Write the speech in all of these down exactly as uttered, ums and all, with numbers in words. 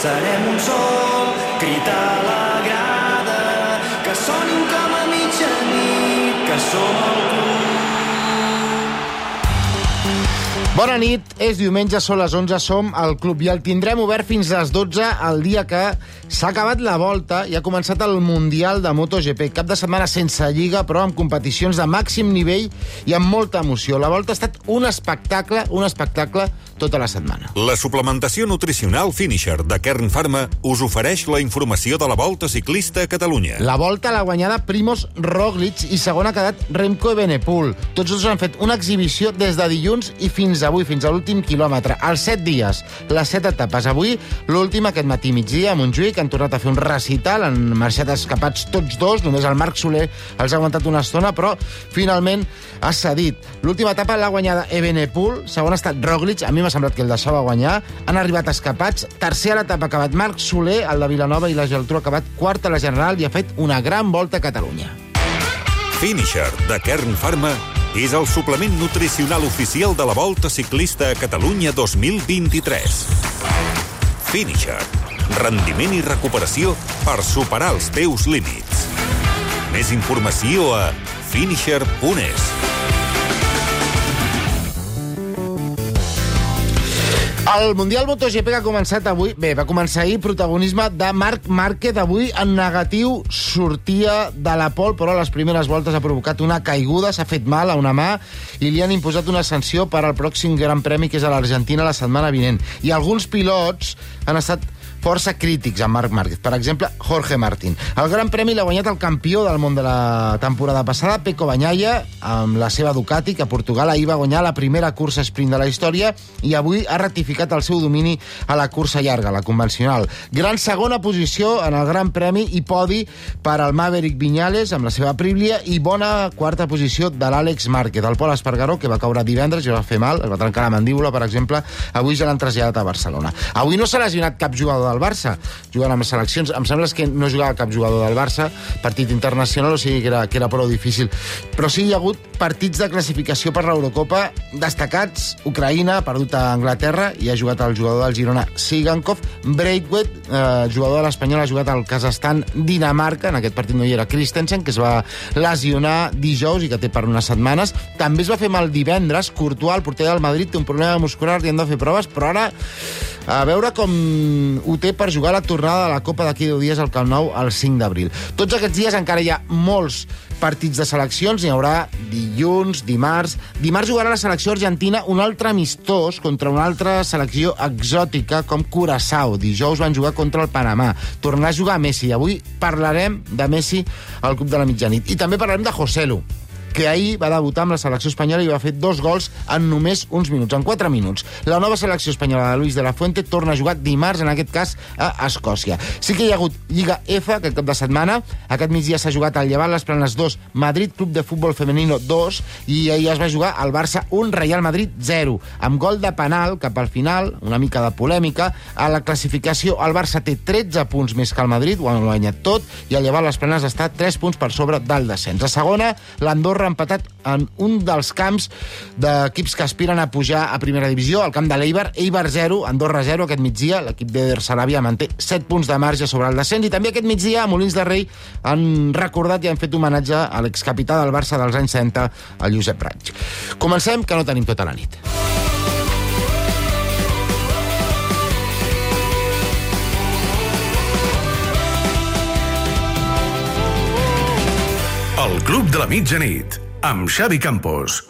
serem un sol crit a la grada, que sonin com a mitjanit, que som el club. Bona nit, és diumenge, són les onze, som al club i el tindrem obert fins a les dotze el dia que s'ha acabat la volta i ha començat el Mundial de MotoGP. Cap de setmana sense lliga, però amb competicions de màxim nivell i amb molta emoció. La volta ha estat un espectacle, un espectacle tota la setmana. La suplementació nutricional Finisher de Kern Pharma us ofereix la informació de la Volta Ciclista a Catalunya. La volta l'ha guanyada Primož Roglič i segon ha quedat Remco Evenepoel. Tots dos han fet una exhibició des de dilluns i fins avui, fins a l'últim quilòmetre. Els set dies, les set etapes. Avui, l'última aquest matí migdia a Montjuïc, han tornat a fer un recital, han marxat escapats tots dos, només el Marc Soler els ha aguantat una estona, però finalment ha cedit. L'última etapa l'ha guanyada Evenepoel, segon ha estat Roglič, a mi m'ha semblat que el deixava guanyar, han arribat escapats, tercer a l'etapa ha acabat Marc Soler, el de Vilanova i la Geltrú ha acabat quart a la general i ha fet una gran volta a Catalunya. Finisher de Kern Pharma és el suplement nutricional oficial de la Volta Ciclista a Catalunya dos mil vint-i-tres. Finisher. Rendiment i recuperació per superar els teus límits. Més informació a finisher punt es. El Mundial MotoGP que ha començat avui, bé, va començar ahir, protagonisme de Marc Márquez, avui en negatiu, sortia de la pole, però a les primeres voltes ha provocat una caiguda, s'ha fet mal a una mà i li han imposat una sanció per al pròxim Gran Premi, que és a l'Argentina la setmana vinent. I alguns pilots han estat força crítics amb Marc Márquez. Per exemple, Jorge Martín. El Gran Premi l'ha guanyat el campió del món de la temporada passada, Pecco Bagnaia, amb la seva Ducati, que a Portugal ahir va guanyar la primera cursa sprint de la història i avui ha ratificat el seu domini a la cursa llarga, la convencional. Gran segona posició en el Gran Premi i podi per al Maverick Viñales amb la seva Aprilia i bona quarta posició de l'Àlex Márquez. El Pol Espargaró, que va caure divendres i va fer mal, es va trencar la mandíbula, per exemple, avui ja l'han traslladat a Barcelona. Avui no s'ha lesionat cap jugador del Barça, jugant amb les seleccions. Em sembla que no jugava cap jugador del Barça, partit internacional, o sigui que era, que era prou difícil. Però sí hi ha hagut partits de classificació per l'Eurocopa destacats. Ucraïna ha perdut a Anglaterra i ha jugat el jugador del Girona Sigankov. Braithwaite, eh, jugador de l'Espanyol, ha jugat al Kazakhstan Dinamarca. En aquest partit no hi era Christensen, que es va lesionar dijous i que té per unes setmanes. També es va fer mal divendres. Courtois, el porter del Madrid, té un problema muscular, li han de fer proves, però ara a veure com ho té per jugar la tornada de la Copa d'aquí deu dies al Camp Nou el cinc d'abril. Tots aquests dies encara hi ha molts partits de seleccions, n'hi haurà dilluns, dimarts. Dimarts jugarà la selecció argentina un altre amistós contra una altra selecció exòtica com Curaçao. Dijous van jugar contra el Panamà. Tornarà a jugar Messi. Avui parlarem de Messi al Club de la Mitjanit. I també parlarem de Joselu, que ahir va debutar amb la selecció espanyola i va fer dos gols en només uns minuts, en quatre minuts. La nova selecció espanyola de Luis de la Fuente torna a jugar dimarts, en aquest cas a Escòcia. Sí que hi ha hagut Lliga F aquest cap de setmana. Aquest migdia s'ha jugat al Llevant, les Planes dos, Madrid Club de Futbol Femenino dos, i ahir es va jugar al Barça un, Real Madrid zero, amb gol de penal cap al final, una mica de polèmica. A la classificació el Barça té tretze punts més que el Madrid, ho han guanyat tot, i el Llevant, les Planes, està tres punts per sobre del descens. A segona, l'Andorra ha empatat en un dels camps d'equips que aspiren a pujar a primera divisió, el camp de l'Eibar. Eibar zero, Andorra zero aquest migdia. L'equip d'Eder Sarabia manté set punts de marge sobre el descens. I també aquest migdia a Molins de Rei han recordat i han fet homenatge a l'excapità del Barça dels anys setanta, el Josep Raig. Comencem, que no tenim tota la nit. El Club de la Mitjanit, amb Xavi Campos.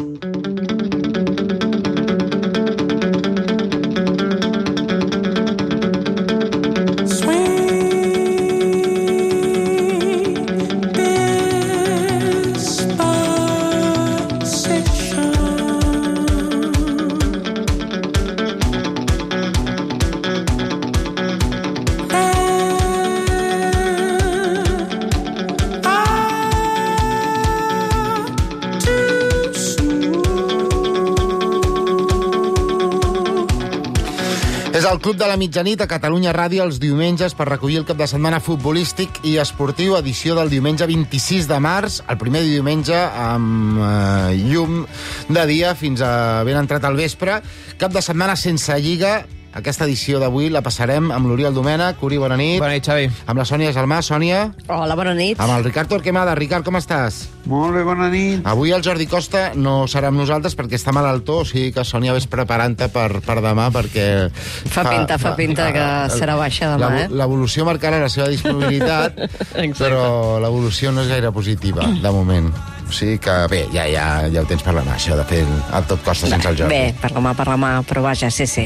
És el Club de la Mitjanit a Catalunya Ràdio els diumenges per recollir el cap de setmana futbolístic i esportiu, edició del diumenge vint-i-sis de març, el primer diumenge amb eh, llum de dia fins a ben entrat al vespre. Cap de setmana sense lliga, Aquesta edició d'avui la passarem amb l'Oriol Domènech. Uri, bona nit. Bona nit, Xavi. Amb la Sònia Gelmà. Sònia. Hola, bona nit. Amb el Ricard Torquemada. Ricard, com estàs? Molt bé, bona nit. Avui el Jordi Costa no serà amb nosaltres perquè està malaltó, o sigui que Sònia ves preparant-te per, per demà perquè... Fa, fa pinta, fa pinta que serà baixa demà, eh? L'evolució marcarà la seva disponibilitat, però l'evolució no és gaire positiva, de moment. O sigui que, bé, ja, ja, ja ho tens per la mà, això de fer el, el tot costa sense el Jordi. Bé, per la mà, per la mà, però vaja, sí, sí.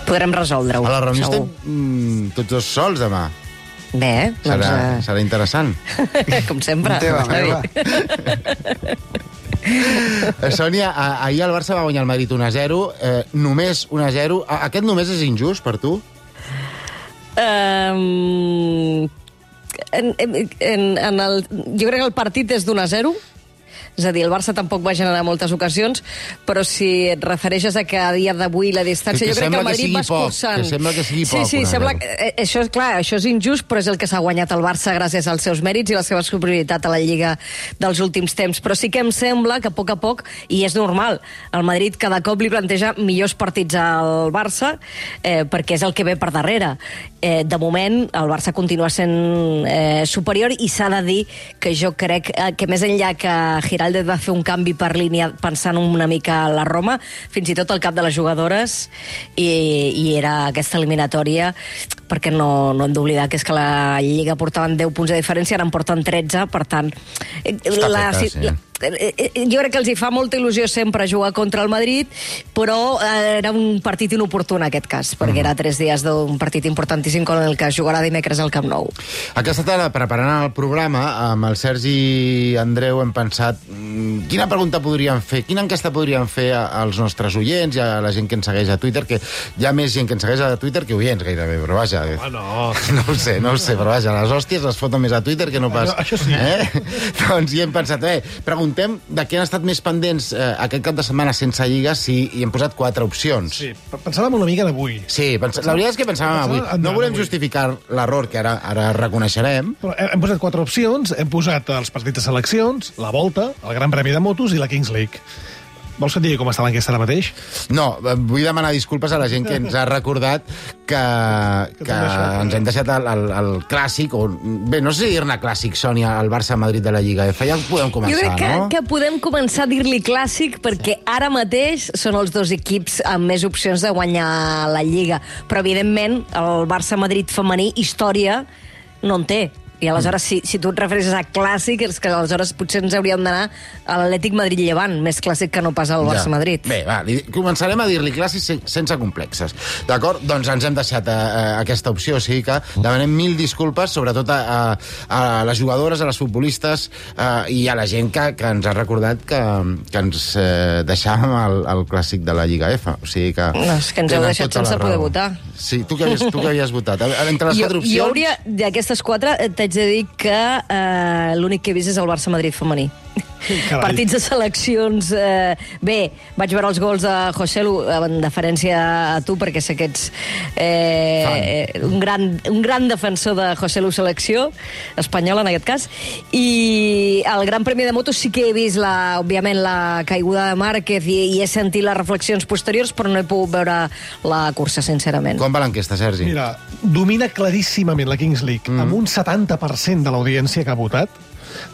Podrem resoldre-ho. A la reunió segur. estem mm, tots dos sols demà. Bé, serà, doncs... Uh... serà interessant. Com sempre. Teva, meva. Sònia, ahir el Barça va guanyar el Madrid un a zero, eh, només un a zero. Aquest només és injust per tu? Um, en, en, en el, jo crec que el partit és d'un a zero. És a dir, el Barça tampoc va generar moltes ocasions, però si et refereixes a que a dia d'avui la distància... Que jo crec que el Madrid va escurçant. Que sembla que sigui sí, poc. Sí, sí, sembla que... Eh, això, clar, això és injust, però és el que s'ha guanyat el Barça gràcies als seus mèrits i la seva superioritat a la Lliga dels últims temps. Però sí que em sembla que a poc a poc, i és normal, el Madrid cada cop li planteja millors partits al Barça, eh, perquè és el que ve per darrere. Eh, de moment, el Barça continua sent eh, superior i s'ha de dir que jo crec eh, que més enllà que Giraldez va fer un canvi per línia pensant una mica a la Roma, fins i tot el cap de les jugadores, i, i era aquesta eliminatòria, perquè no, no hem d'oblidar que és que la Lliga portaven deu punts de diferència, ara en porten tretze, per tant... Està la, feta, sí. la, jo crec que els hi fa molta il·lusió sempre jugar contra el Madrid, però eh, era un partit inoportú en aquest cas, perquè mm. era tres dies d'un partit importantíssim com el que jugarà dimecres al Camp Nou. Aquesta tarda, preparant el programa, amb el Sergi i Andreu hem pensat quina pregunta podríem fer, quina enquesta podríem fer als nostres oients i a la gent que ens segueix a Twitter, que hi ha més gent que ens segueix a Twitter que oients gairebé, però vaja... Oh, no. No ho sé, no ho sé, però vaja, les hòsties les foten més a Twitter que no pas... Això, això sí. Eh? Doncs hi hem pensat, eh, preguntem de què han estat més pendents eh, aquest cap de setmana sense Lliga, sí, i hem posat quatre opcions. Sí, pensàvem una mica d'avui. Sí, pens... la veritat és que pensàvem avui. No volem justificar l'error, que ara, ara reconeixerem. Però hem posat quatre opcions, hem posat els partits de seleccions, la Volta, el Gran Premi de Motos i la Kings League. Vols que et digui com està l'enquesta ara mateix? No, vull demanar disculpes a la gent que ens ha recordat que, que ens hem deixat el, el, el clàssic, o bé, no sé dir-ne clàssic, Sònia, el Barça-Madrid de la Lliga F. Ja podem començar, jo crec que, no? que podem començar a dir-li clàssic perquè ara mateix són els dos equips amb més opcions de guanyar la Lliga. Però, evidentment, el Barça-Madrid femení, història, no en té. I aleshores, si, si tu et refereixes a clàssic, és que aleshores potser ens hauríem d'anar a l'Atlètic Madrid-Llevant, més clàssic que no pas al Barça-Madrid. Ja. Bé, va, li, començarem a dir-li clàssic sen, sense complexes. D'acord? Doncs ens hem deixat a, a aquesta opció, o sigui que demanem mil disculpes, sobretot a, a, a les jugadores, a les futbolistes a, i a la gent que, que ens ha recordat que, que ens eh, deixàvem el, el clàssic de la Lliga F. O sigui que... No, és que ens heu deixat sense poder votar. Sí, tu que havies, tu que havies votat. Entre les jo, quatre opcions... Jo hauria, d'aquestes quatre, t'haig de dir que eh, l'únic que he vist és el Barça-Madrid femení. Carai. Partits de seleccions... Eh, bé, vaig veure els gols de Joselu en deferència a tu, perquè sé que ets eh, un, gran, un gran defensor de Joselu selecció espanyola, en aquest cas. I el Gran Premi de Motos sí que he vist, la, òbviament, la caiguda de Márquez i, i he sentit les reflexions posteriors, però no he pogut veure la cursa, sincerament. Com va l'enquesta, Sergi? Mira, domina claríssimament la Kings League, mm. amb un setanta per cent de l'audiència que ha votat.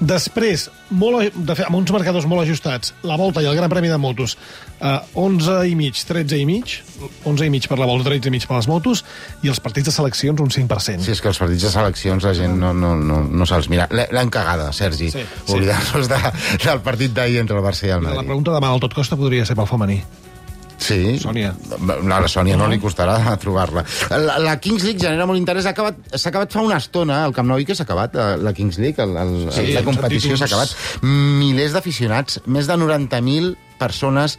Després, molt, de fet, amb uns marcadors molt ajustats, la Volta i el Gran Premi de Motos, eh, onze i mig, tretze i mig, onze i mig per la Volta, tretze i mig per les motos, i els partits de seleccions un cinc per cent. Sí, és que els partits de seleccions la gent no, no, no, no se'ls mira. L'hem cagada, Sergi, sí, sí. Oblidar-nos de, del partit d'ahir entre el Barça i el Madrid. La pregunta demà al tot costa podria ser pel femení. Sí. Sònia. A la Sònia no li costarà trobar-la. La, la Kings League genera molt interès. S'ha acabat, s'ha acabat fa una estona, el Camp Nou, que s'ha acabat, la Kings League, el, el, sí, la competició s'ha acabat. Milers d'aficionats, més de noranta mil persones,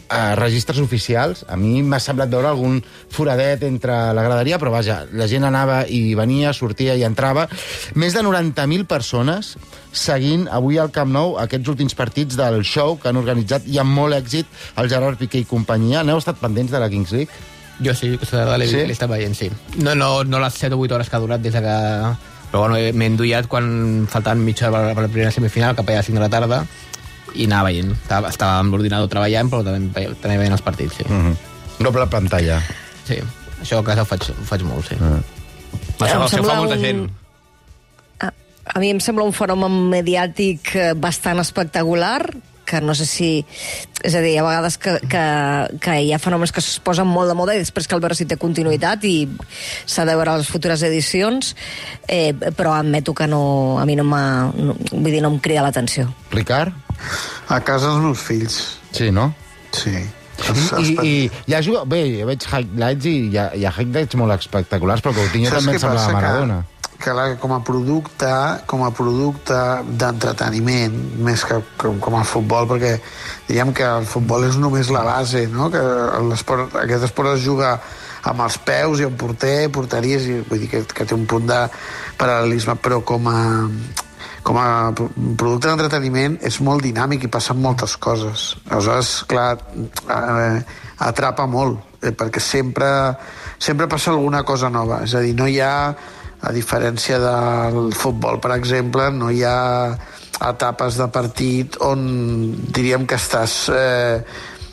a registres oficials. A mi m'ha semblat veure algun foradet entre la graderia, però vaja, la gent anava i venia, sortia i entrava. Més de noranta mil persones seguint avui al Camp Nou aquests últims partits del show que han organitzat i amb molt èxit el Gerard Piqué i companyia. N'heu estat pendents de la Kings League? Jo sí, l'he sí? estat veient, sí. No, no, no les set o vuit hores que ha durat des de que... Però bueno, m'he endollat quan faltaven mitja hora per la primera semifinal, cap allà a cinc de la tarda, i anava veient. Estava amb l'ordinador treballant, però també, també veient els partits, sí. Mm-hmm. Doble pantalla. Sí. Això a casa ho faig, ho faig molt, sí. Ah. Això, Em això sembla fa molta un- gent. A, a mi em sembla un fenomen mediàtic eh, bastant espectacular, que no sé si... És a dir, hi ha vegades que, que, que hi ha fenòmens que es posen molt de moda i després cal veure si té continuïtat i s'ha de veure les futures edicions, eh, però admeto que no, a mi no m'ha... No, vull dir, no em crida l'atenció. Ricard? A casa els meus fills, Sí, no? sí. I, i, i ja juga... Bé, jo veig highlights i hi ha, hi ha highlights molt espectaculars, però Coutinho Saps també què em sembla passa? la Maradona. Que, que la, com a producte, com a producte d'entreteniment, més que com, com a futbol, perquè diguem que el futbol és només la base, no? Que l'esport, aquest esport es juga amb els peus i amb porter, porteries, i vull dir que, que té un punt de paral·lelisme, però com a, com a producte d'entreteniment és molt dinàmic i passen moltes coses. Aleshores, clar, eh, atrapa molt, eh, perquè sempre, sempre passa alguna cosa nova. És a dir, no hi ha, a diferència del futbol, per exemple, no hi ha etapes de partit on diríem que estàs... Eh,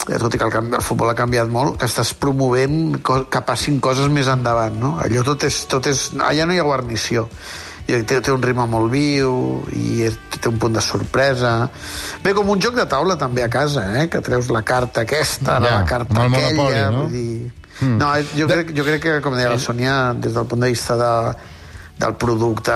tot i que el, canvi, el futbol ha canviat molt, que estàs promovent que passin coses més endavant, no? Allò tot és... Tot és allà no hi ha guarnició. I té, té un ritme molt viu i té un punt de sorpresa. Bé, com un joc de taula també a casa, eh? Que treus la carta aquesta, Ja, la carta amb el aquella... Monopoli, no? Vull dir... Mm. No, jo crec, jo crec que, com deia la Sònia, des del punt de vista de, del producte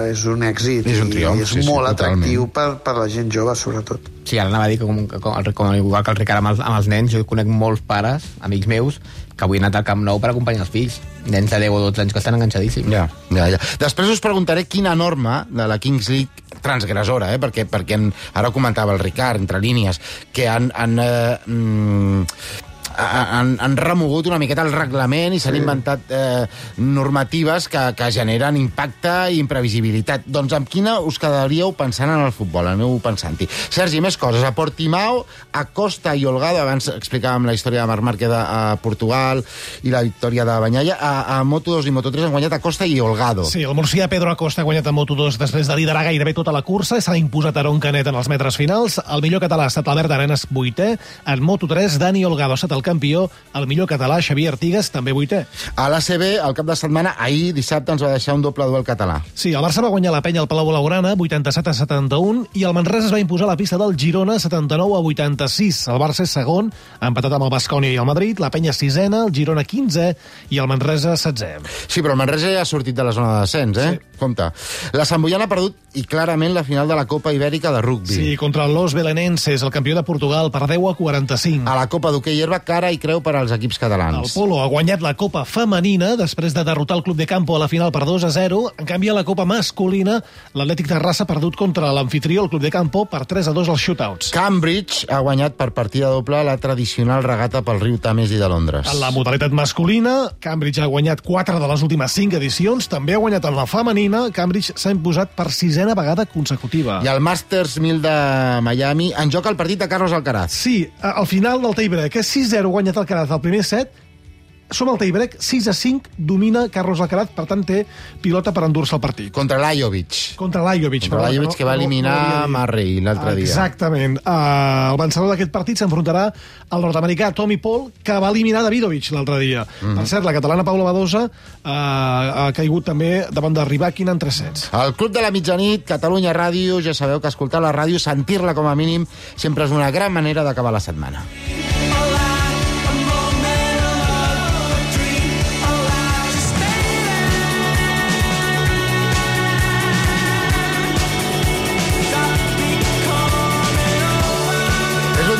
és un èxit. És un triomf, i és sí, sí, molt totalment. atractiu per, per la gent jove, sobretot. Sí, ara anava a dir que com, com, com igual que el Ricard amb els, amb els nens, jo conec molts pares, amics meus, que avui han anat al Camp Nou per acompanyar els fills. Nens de deu o dotze anys que estan enganxadíssims. Ja, ja, ja. Després us preguntaré quina norma de la Kings League transgressora, eh? perquè, perquè en, ara ho comentava el Ricard, entre línies, que han... han eh, mm, han, han remogut una miqueta el reglament i s'han sí. inventat eh, normatives que, que generen impacte i imprevisibilitat. Doncs amb quina us quedaríeu pensant en el futbol? Aneu pensant-hi. Sergi, més coses. A Portimao, a Costa i Holgado, abans explicàvem la història de Marc Márquez a Portugal i la victòria de Banyaia, a, a Moto dos i Moto tres han guanyat a Costa i Holgado. Sí, el murcià Pedro Acosta ha guanyat a Moto dos després de liderar gairebé tota la cursa, s'ha imposat Aron Canet en els metres finals, el millor català ha estat Albert Arenas, vuitè, en Moto tres Dani Holgado ha estat el campió, el millor català Xavier Artigas, també vuitè. A l'A C B, el cap de setmana, ahir, dissabte, ens va deixar un doble duel català. Sí, el Barça va guanyar la penya al Palau Blaugrana, vuitanta-set a setanta-un, i el Manresa es va imposar a la pista del Girona, setanta-nou a vuitanta-sis. El Barça és segon, ha empatat amb el Baskonia i el Madrid, la penya sisena, el Girona quinze i el Manresa setzè. Sí, però el Manresa ja ha sortit de la zona de descens, eh? Sí. Compte. La Samboyana ha perdut, i clarament, la final de la Copa Ibèrica de rugby. Sí, contra los belenenses, el campió de Portugal, per deu a quaranta-cinc. A la Copa d'hoquei herba, cara i creu per als equips catalans. El Polo ha guanyat la Copa femenina després de derrotar el Club de Campo a la final per dos a zero. En canvi, a la Copa masculina, l'Atlètic Terrassa ha perdut contra l'anfitrió, el Club de Campo, per tres a dos als shootouts. Cambridge ha guanyat per partida doble la tradicional regata pel riu Tames i de Londres. En la modalitat masculina, Cambridge ha guanyat quatre de les últimes cinc edicions, també ha guanyat en la femenina, Cambridge s'ha imposat per sisena vegada consecutiva. I al Masters mil de Miami en joc el partit de Carlos Alcaraz. Sí, al final del tiebreak, és sis zero guanyat Alcaraz al primer set, som al tiebreak, sis a cinc, domina Carlos Alcaraz, per tant té pilota per endur-se el partit. Contra Lajovic. Contra Lajovic. Contra Lajovic, que va eliminar no, no Murray l'altre dia. Exactament. Uh, el vencedor d'aquest partit s'enfrontarà al nord-americà Tommy Paul, que va eliminar Davidovich l'altre dia. Mm. Per cert, la catalana Paula Badosa uh, ha caigut també davant de Rybakina en tres sets. El Club de la Mitjanit, Catalunya Ràdio, ja sabeu que escoltar la ràdio, sentir-la com a mínim, sempre és una gran manera d'acabar la setmana.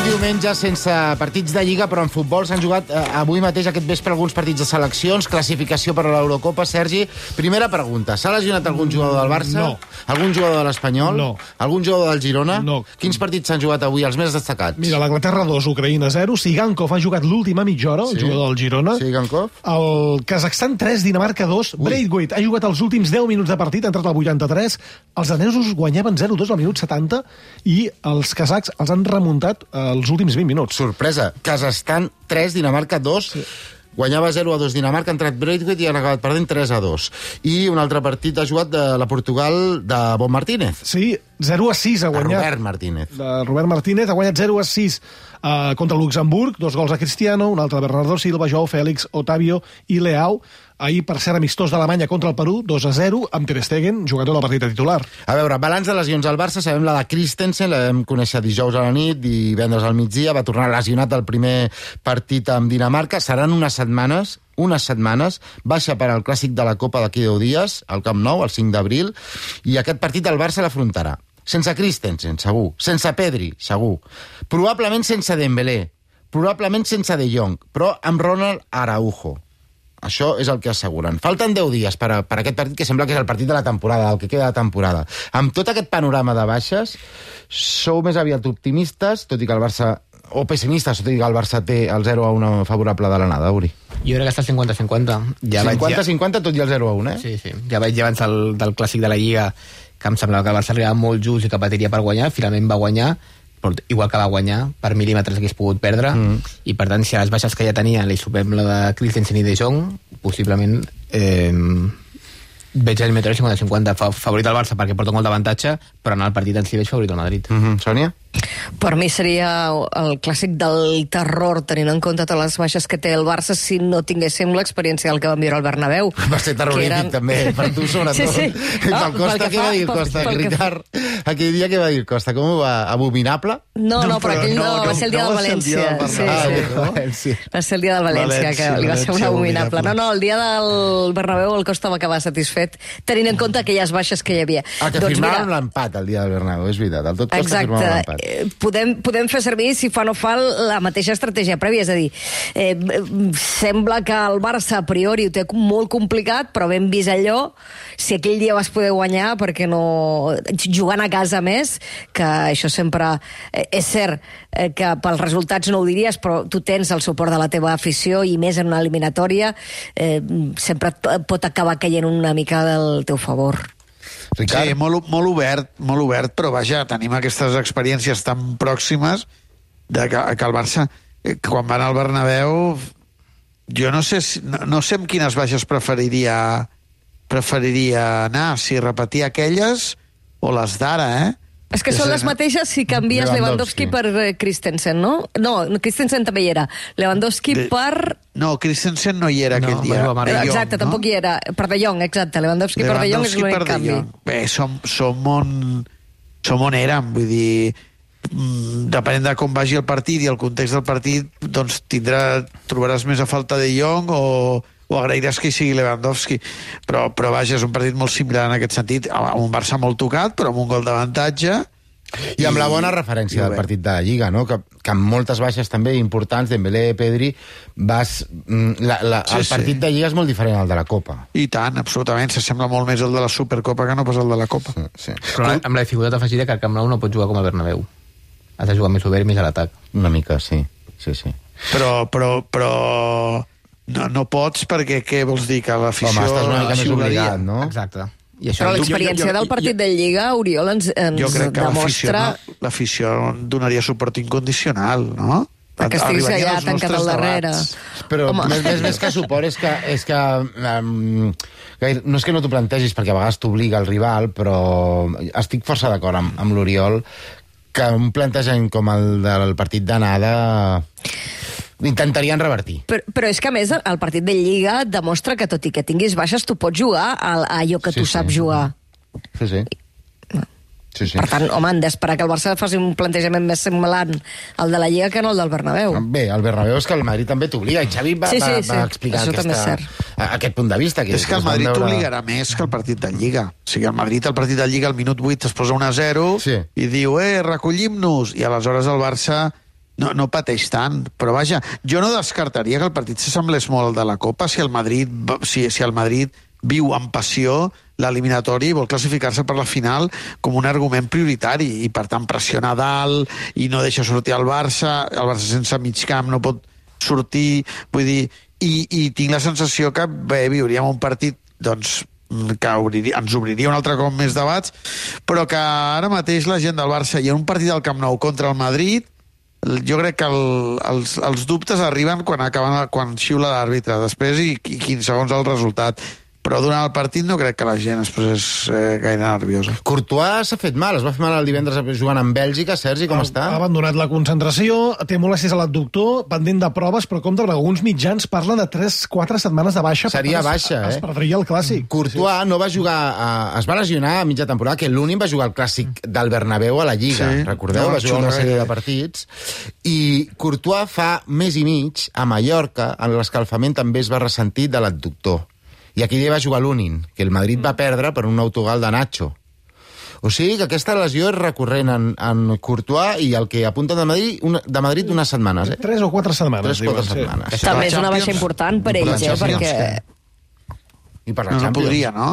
Diumenge sense partits de Lliga, però en futbol s'han jugat eh, avui mateix, aquest vespre, alguns partits de seleccions, classificació per a l'Eurocopa. Sergi, primera pregunta. S'ha lesionat algun jugador del Barça? No. Algun jugador de l'Espanyol? No. Algun jugador del Girona? No. Quins partits s'han jugat avui, els més destacats? Mira, l'Anglaterra dos, Ucraïna zero, Sigankov ha jugat l'última mitja hora, sí. El jugador del Girona. Sigankov. El Kazakhstan tres, Dinamarca dos, Braithwaite ha jugat els últims deu minuts de partit, ha entrat al vuitanta-tres, els danesos guanyaven zero dos al minut setanta i els kazakhs els han remuntat els últims vint minuts. Sorpresa, Kazakhstan tres, Dinamarca dos, sí. Guanyava zero a dos Dinamarca, ha entrat Braithwaite i han acabat perdent tres a dos. I un altre partit ha jugat de la Portugal de Bon Martínez. Sí, zero a sis ha guanyat. De Robert Martínez. De Robert Martínez ha guanyat zero a sis Uh, contra el Luxemburg, dos gols a Cristiano, un altre a Bernardo Silva, Joao Fèlix, Otavio i Leao. Ahir, per ser amistós d'Alemanya contra el Perú, dos a zero, amb Ter Stegen, jugador del partit titular. A veure, balanç de lesions al Barça, sabem la de Christensen, la vam conèixer dijous a la nit, divendres al migdia, va tornar lesionat al primer partit amb Dinamarca. Seran unes setmanes, unes setmanes, baixa per al clàssic de la Copa d'aquí deu dies, al Camp Nou, el cinc d'abril, i aquest partit el Barça l'afrontarà. Sense Christensen, segur. Sense Pedri, segur. Probablement sense Dembélé. Probablement sense De Jong, però amb Ronald Araujo. Això és el que asseguren. Falten deu dies per, a, per a aquest partit, que sembla que és el partit de la temporada, el que queda de temporada. Amb tot aquest panorama de baixes, sou més aviat optimistes, tot i que el Barça, o pessimistes, tot i que el Barça té el zero a un favorable de l'anada, Uri. Jo crec que està cinquanta cinquanta. Ja cinquanta cinquanta, tot i el zero a un, eh? Sí, sí. Ja vaig abans del, del clàssic de la Lliga, que em semblava que el Barça arribava molt just i que patiria per guanyar, finalment va guanyar, però igual que va guanyar, per mil·límetres que hagués pogut perdre, mm. i per tant, si a les baixes que ja tenia li sumem la de Christensen i De Jong, possiblement eh, veig el Meteor cinquanta cinquanta favorit al Barça perquè porta molt d'avantatge, però en el partit en si veig favorit al Madrid. Mm-hmm. Sònia? Per mi seria el clàssic del terror, tenint en compte totes les baixes que té el Barça, si no tinguéssim l'experiència del que vam viure al Bernabéu. Va ser terrorífic, eren... també, per tu sobretot. Sí, sí. No, Costa, què va dir el Costa? Ricard, aquell dia què va dir el Costa? Com ho va? Abominable? No, no, però aquell no, va ser el dia del València. Sí, sí. Va ser el dia del València, que li va ser un abominable. No, no, el dia del Bernabéu el Costa va acabar satisfet, tenint en compte aquelles baixes que hi havia. Ah, que firmàvem l'empat el dia del Bernabéu, és veritat. El tot Costa firmàvem l'empat. Podem, podem fer servir, si fa no fa, la mateixa estratègia prèvia, és a dir, eh, sembla que el Barça a priori ho té molt complicat, però ben vist allò, si aquell dia vas poder guanyar, perquè no... jugant a casa més, que això sempre... Eh, és cert eh, que pels resultats no ho diries, però tu tens el suport de la teva afició, i més en una eliminatòria, eh, sempre pot acabar caient una mica del teu favor. Ricard? Sí, molt, molt obert, molt obert, però vaja, tenim aquestes experiències tan pròximes de que, que el Barça, quan va anar al Bernabéu, jo no sé, si, no, no sé amb quines baixes preferiria preferiria anar, si repetir aquelles o les d'ara, eh? És que són les mateixes si canvies Lewandowski, Lewandowski per eh, Christensen, no? No, Christensen també hi era. Lewandowski de... per... No, Christensen no hi era no, aquell dia. Bueno, Jong, exacte, no? Tampoc hi era. Per De Jong, exacte. Lewandowski, Lewandowski per De Jong és l'únic canvi. Bé, som, som, on, som on érem, vull dir... Depenent de com vagi el partit i el context del partit, doncs tindrà, trobaràs més a falta De Jong o... o agrairàs que hi sigui Lewandowski, però, però vaja, és un partit molt similar en aquest sentit, amb un Barça molt tocat, però amb un gol d'avantatge. I amb la bona referència del partit de la Lliga, no? que, que amb moltes baixes també importants, Dembélé, Pedri, vas, la, la, sí, el partit sí. de Lliga és molt diferent al de la Copa. I tant, absolutament, s'assembla molt més el de la Supercopa que no pas el de la Copa. Sí, sí. Però amb la dificultat afegida que el Camp Nou no pot jugar com el Bernabéu. Has de jugar més obert i més a l'atac. Una mica, sí. sí, sí. Però, però, però... No, no pots perquè, què vols dir? Que l'afició... Home, estàs una mica més obligat, no? Exacte. I això, però l'experiència del partit de Lliga, Oriol, ens, ens jo crec que demostra... l'afició donaria suport incondicional, no? Perquè estiguis allà tancat al darrere. Però més, més, més que suport és que... És que um, no és que no t'ho plantegis, perquè a vegades t'obliga el rival, però estic força d'acord amb, amb l'Oriol que un plantejament com el del partit d'anada... Intentarien revertir. Però, però és que, a més, el partit de Lliga demostra que, tot i que tinguis baixes, tu pots jugar a, a allò que sí, tu sí. saps jugar. Sí, sí. sí, sí. Per tant, home, han d'esperar que el Barça faci un plantejament més semblant al de la Lliga que no el del Bernabéu. Bé, el Bernabéu és que el Madrid també t'obliga, i Xavi va, sí, sí, va, va sí. explicar aquesta, aquest punt de vista. Que és que el Madrid veure... t'obligarà més que el partit de Lliga. O sigui, el Madrid, el partit de Lliga, al minut vuit es posa un a zero sí. i diu, eh, recollim-nos, i aleshores el Barça... No, no pateix tant, però vaja, jo no descartaria que el partit s'assemblés molt al de la Copa si el Madrid, si, si el Madrid viu amb passió l'eliminatori i vol classificar-se per la final com un argument prioritari i per tant pressiona dalt i no deixa sortir el Barça, el Barça sense mig camp no pot sortir, vull dir, i, i tinc la sensació que bé, viuríem un partit doncs que obriria, ens obriria un altre cop més debats, però que ara mateix la gent del Barça i en un partit del Camp Nou contra el Madrid jo crec que el, els, els dubtes arriben quan, acaben, quan xiula l'àrbitre després i, i quinze segons el resultat, però durant el partit no crec que la gent es posés eh, gaire nerviosa. Courtois s'ha fet mal, es va fer mal el divendres jugant amb Bèlgica. Sergi, com ha, està? Ha abandonat la concentració, té molèsties a l'abductor, pendent de proves, però compte, alguns mitjans parlen de tres quatre setmanes de baixa. Seria per tant, baixa, es, eh? Es perdria el clàssic. Courtois sí. no va jugar, a, es va lesionar a mitja temporada, que l'únic va jugar al clàssic del Bernabéu a la Lliga, sí. recordeu? No, va jugar una xulo, sèrie eh? de partits. I Courtois fa mes i mig, a Mallorca, en l'escalfament també es va ressentir de l'abductor. I aquí ja va jugar l'Unin, que el Madrid va perdre per un autogol de Nacho. O sigui que aquesta lesió és recurrent en, en Courtois i el que apunta de Madrid, una, de Madrid unes setmanes. Eh? Tres o quatre setmanes. Tres o quatre diuen, setmanes. Sí. També és una baixa important per ells, eh? Perquè... I per la No, no Champions. podria, no?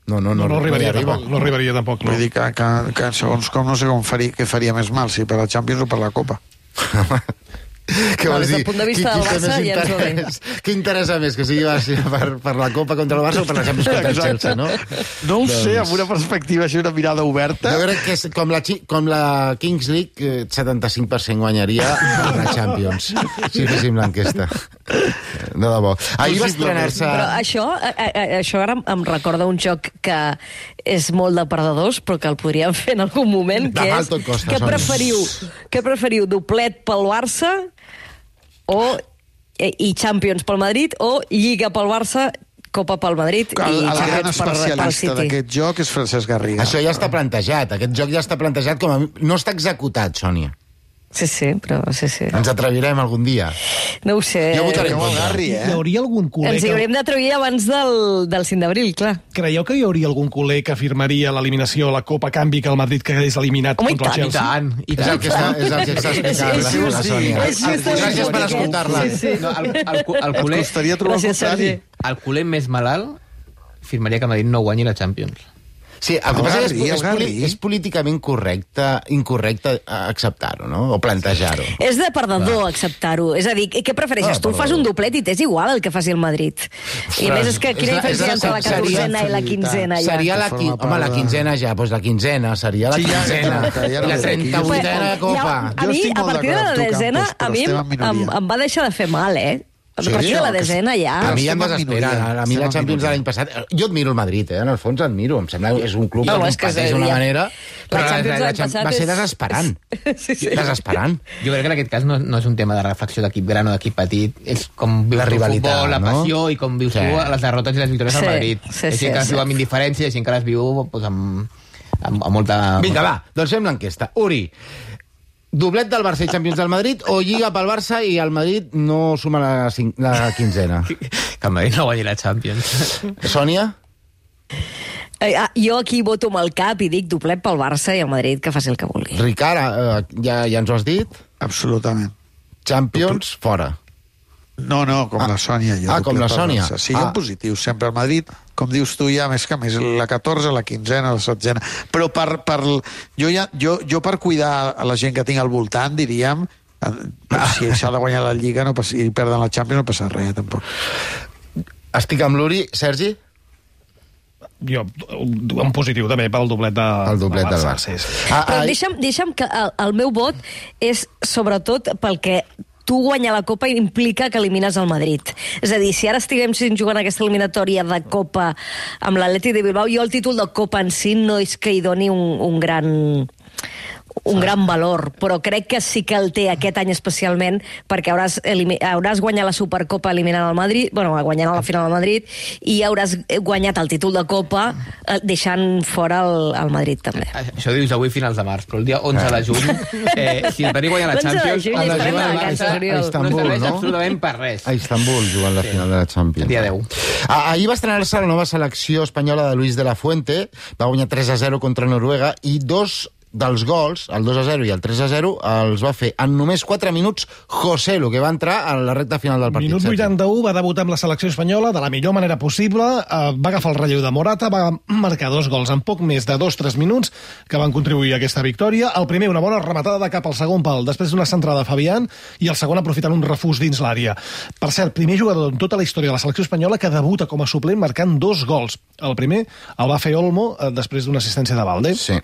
No, no, No, no, no, arribaria, no hi arriba. tampoc, no arribaria tampoc. No. Vull dir que, que, que segons com no sé com faria, què faria més mal, si per la Champions o per la Copa. Què No, vols des del dir? punt de vista Qui- del qui té Barça més ja ens va bé. interès? Què interessa més, que sigui per, per la Copa contra el Barça o per la Champions contra el Chelsea, no? No ho Doncs- sé, amb una perspectiva així, una mirada oberta. Jo crec que és, com, la, Chi- com la Kings League, eh, setanta-cinc per cent guanyaria la Champions, si féssim l'enquesta. De debò. Ahir va estrenar-se... Però això, a, a, això ara em recorda un joc que és molt de perdedors, però que el podríem fer en algun moment, que De mal és... tot costa, Què Sònia. preferiu? Què preferiu, doblet pel Barça o i Champions pel Madrid o Lliga pel Barça, Copa pel Madrid El, i el gran Champions per, pel especialista City? d'aquest joc és Francesc Garriga. Això ja està plantejat, aquest joc ja està plantejat com a... No està executat, Sònia. Sí, sí, però sí, sí. Ens atrevirem algun dia. No ho sé. Jo votaré en Creu el contra. Garri, Hi eh? hauria algun culer Ens hi que... hauríem d'atrevir abans del, del cinc d'abril, clar. Creieu que hi hauria algun culer que afirmaria l'eliminació a la Copa a canvi que el Madrid quedés eliminat Home, i contra el tant, I Chelsea? tant, i És el tant. que està, és el que està explicant la, És just, la Sònia. és just el Gràcies per punt escoltar-la. aquest. Sí, sí. No, el, el, cu- el, culer, Ens costaria trobar el Gràcies, contrari. Sergi. el culer més malalt firmaria que Madrid no guanyi la Champions. Sí, el que El passa és, Garri, és, el Garri. és políticament correcte, incorrecte acceptar-ho, no? O plantejar-ho. És de perdedor acceptar-ho. És a dir, què prefereixes? Ah, tu fas un doblet i t'és igual el que faci el Madrid. I a més és que quina És la- diferència entre la seria- catorzena i la quinzena ja? Seria la, Que qui... forma Home, la part de- quinzena ja, doncs la quinzena, seria la Sí, ja, quinzena. exacte, ja no I la sé, aquí jo trenta-vuitena estic- Copa. A Jo mi, estic a molt partir de d'acord la amb tu, desena, Campos, però a mi estem em, en minoria. em, em va deixar de fer mal, eh? A Sí, partir de la que- desena ja... A mi ja em estem en desespera. minoria. A mi la Estem en Champions de minoria. l'any passat... Jo admiro el Madrid, eh? En el fons admiro. Em sembla que és un club No, que és que competeix és- d'una ja- manera... La Però la, Champions la, la, l'any Champions passat va ser és- desesperant. Sí, sí. Desesperant. Jo crec que en aquest cas no, no és un tema de reflexió d'equip gran o d'equip petit, és com vius La el rivalitat, futbol, la no? passió i com vius Sí. tu les derrotes i les victòries Sí, al Madrid. sí, Hi ha sí, gent que les sí. viu amb indiferència i hi ha gent que les viu pues, amb, amb, amb molta... Vinga, va, doncs fem l'enquesta. Uri, doblet del Barça i Champions del Madrid o Lliga pel Barça i el Madrid no suma la, cin- la quinzena? Que el Madrid no guanyi la Champions. Sònia? Eh, ah, jo aquí voto amb el cap i dic doblet pel Barça i el Madrid que faci el que vulgui. Ricard, eh, ja, ja ens ho has dit? Absolutament. Champions, fora. No, no, com Ah. la Sònia. Jo, Ah, com doblet la pel Sònia. Barça. Sí, Ah. en positiu, sempre al Madrid, com dius tu, ja més que més, la catorze, la quinzena, la setzena. Però per, per, jo, ja, jo, jo per cuidar a la gent que tinc al voltant, diríem, eh, si s'ha de guanyar la Lliga no passa, i perden la Champions no passa res, tampoc. Estic amb l'Uri. Sergi? Jo, en positiu també pel doblet de, El doblet del Barça. Barça. Sí, sí. Ah, Però ah, deixa'm, deixa'm que el, el meu vot és sobretot pel que tu guanyar la Copa implica que elimines el Madrid. És a dir, si ara estiguem jugant aquesta eliminatòria de Copa amb l'Atlètic de Bilbao, jo el títol de Copa en si no és que hi doni un, un gran un gran valor, però crec que sí que el té aquest any especialment perquè hauràs, hauràs guanyat la Supercopa eliminant el Madrid, bueno, guanyant a la final del Madrid, i hauràs guanyat el títol de Copa deixant fora el, el Madrid també. Això dius avui finals de març, però el dia onze de juny, eh, si el Madrid guanya la l'onze de Champions, juny el estarem juny a al la Barça casa, Oriol. a no Istanbul, serveix no? absolutament per res. A Istanbul, jugant la final de la Champions. El dia deu. Ah, ahir va estrenar-se la nova selecció espanyola de Luis de la Fuente, va guanyar tres a zero contra Noruega, i dos dels gols, el dos a zero i el tres a zero, els va fer en només quatre minuts José Lu, que va entrar a la recta final del partit. Minut Sergi. vuitanta-u, va debutar amb la selecció espanyola de la millor manera possible, eh, va agafar el relleu de Morata, va marcar dos gols en poc més de dos tres minuts que van contribuir a aquesta victòria. El primer, una bona rematada de cap al segon pal, després d'una centrada de Fabián, i el segon aprofitant un refús dins l'àrea. Per cert, primer jugador en tota la història de la selecció espanyola que debuta com a suplent marcant dos gols. El primer el va fer Olmo eh, després d'una assistència de Valde. Sí.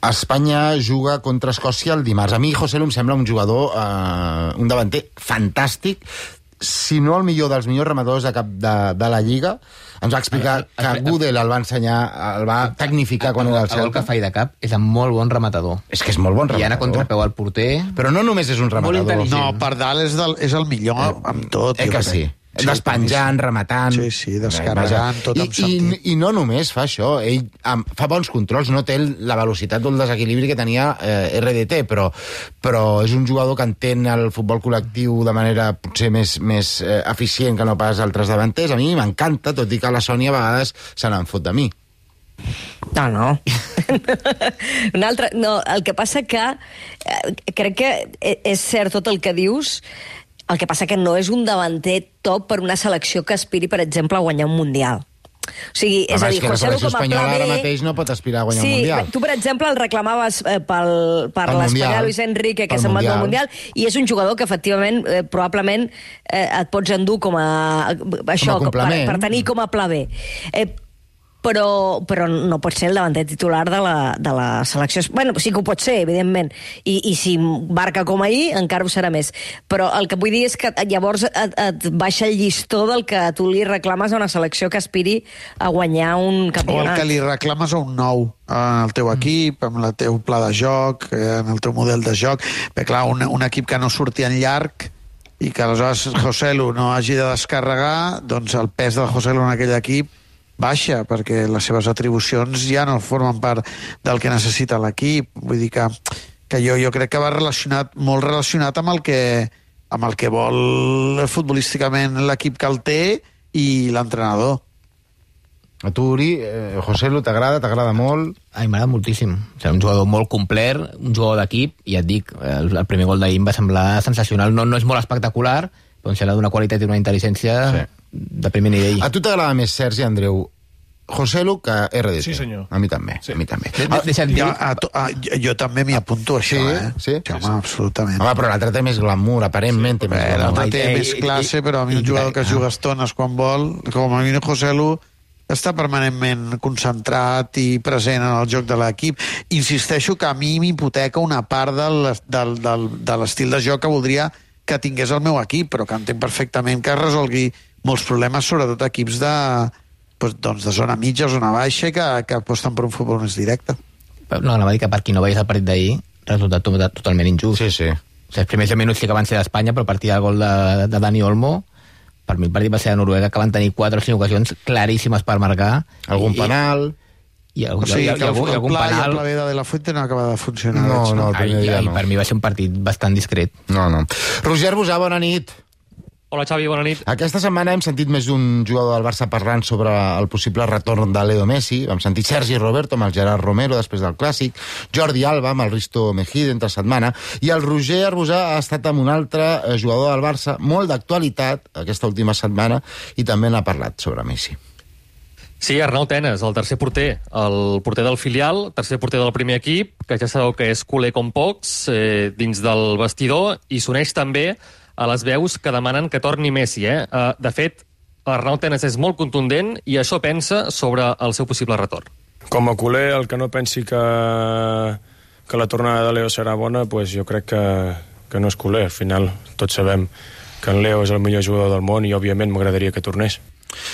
Espanya juga contra Escòcia el dimarts. A mi José Lu em sembla un jugador, eh, un davanter fantàstic, si no el millor dels millors rematadors de, cap de, de la Lliga. Ens va explicar que Gudel el va ensenyar, el va tecnificar quan era al Celta. El que fa i de cap és un molt bon rematador. És que és molt bon rematador. I anar a contrapeu al porter... Però no només és un rematador. No, per dalt és, del, és el millor amb tot. Eh que sí? Sí, despenjant, rematant... Sí, sí, descarregant, tot amb sentit. I, I no només fa això, ell fa bons controls, no té la velocitat o el desequilibri que tenia eh, R D T, però, però és un jugador que entén el futbol col·lectiu de manera potser més, més eh, eficient que no pas altres davanters. A mi m'encanta, tot i que la Sònia a vegades se n'en fot de mi. No, no. Un altre, no, el que passa que eh, crec que és cert tot el que dius. El que passa que no és un davanter top per una selecció que aspiri, per exemple, a guanyar un Mundial. O sigui, és Home, a dir, és que la José Lu selecció com a espanyola pla ara B... mateix no pot aspirar a guanyar sí, un Mundial. Tu, per exemple, el reclamaves eh, pel, per Pel l'espanyol Mundial. Luis Enrique, que Pel se'n va Mundial. al Mundial, i és un jugador que, efectivament, eh, probablement eh, et pots endur com a... Això, Com a complement. per, per tenir com a pla B. Eh, però, però no pot ser el davanter titular de la, de la selecció. Bueno, sí que ho pot ser, evidentment, i, i si marca com ahir, encara ho serà més. Però el que vull dir és que llavors et, et baixa el llistó del que tu li reclames a una selecció que aspiri a guanyar un O el campionat. que li reclames a un nou en el teu equip, amb el teu pla de joc, en el teu model de joc. Bé, clar, un, un equip que no surti en llarg i que aleshores José Lu no hagi de descarregar, doncs el pes del José Lu en aquell equip baixa, perquè les seves atribucions ja no formen part del que necessita l'equip. Vull dir que, que jo, jo crec que va relacionat, molt relacionat amb el que, amb el que vol futbolísticament l'equip que el té i l'entrenador. A tu, Uri, eh, José Lu, t'agrada? T'agrada molt? Ai, m'agrada moltíssim. O sigui, un jugador molt complet, un jugador d'equip, i et dic, el, el primer gol d'ahir em va semblar sensacional. No, no és molt espectacular, però em sembla d'una qualitat i una intel·ligència sí. de primer nivell. A tu t'agrada més, Sergi, Andreu, José Lu que R D T? Sí, senyor. A mi també, sí. a mi també. De, de, deixa't dir... Jo, a, a, jo, jo també m'hi apunto, això, Sí, eh? sí. Sí, home, absolutament. Home, però l'altre té més glamour, aparentment té més Bé, glamour. l'altre té Ai, més ai, classe, ai, però a mi ai, un jugador ai, que ah. juga estones quan vol, com a mi José Lu, està permanentment concentrat i present en el joc de l'equip. Insisteixo que a mi m'hipoteca una part del, del, del, de l'estil de joc que voldria que tingués el meu equip, però que entenc perfectament que resolgui molts problemes, sobretot equips de, doncs, de zona mitja o zona baixa, que, que aposten per un futbol més directe. No, anava a dir que per qui no veiés el partit d'ahir, resultat tot, totalment injust. Sí, sí. O sigui, els primers deu minuts sí que van ser d'Espanya, però a partir del gol de, de Dani Olmo, per mi el partit va ser de Noruega, que van tenir quatre o cinc ocasions claríssimes per marcar. Algun I, penal... I, i, O sigui, i, i, que el, algun, el algun pla i el penal... pla B de De La Fuente no acaba de funcionar. No, veig, no, el primer Ai, dia ai, no. per mi va ser un partit bastant discret. No, no. Roger Busà, bona nit. Hola, Xavi, bona nit. Aquesta setmana hem sentit més d'un jugador del Barça parlant sobre el possible retorn de Leo Messi. Vam sentir Sergi Roberto amb el Gerard Romero després del Clàssic, Jordi Alba amb el Risto Mejide entre setmana, i el Roger Arbusà ha estat amb un altre jugador del Barça, molt d'actualitat aquesta última setmana, i també n'ha parlat sobre Messi. Sí, Arnau Tenes, el tercer porter, el porter del filial, tercer porter del primer equip, que ja sabeu que és culer com pocs, eh, dins del vestidor, i s'uneix també a les veus que demanen que torni Messi. Eh? Uh, de fet, Arnau Tenes és molt contundent i això pensa sobre el seu possible retorn. Com a culer, el que no pensi que, que la tornada de Leo serà bona, pues jo crec que, que no és culer. Al final, tots sabem que en Leo és el millor jugador del món i, òbviament, m'agradaria que tornés.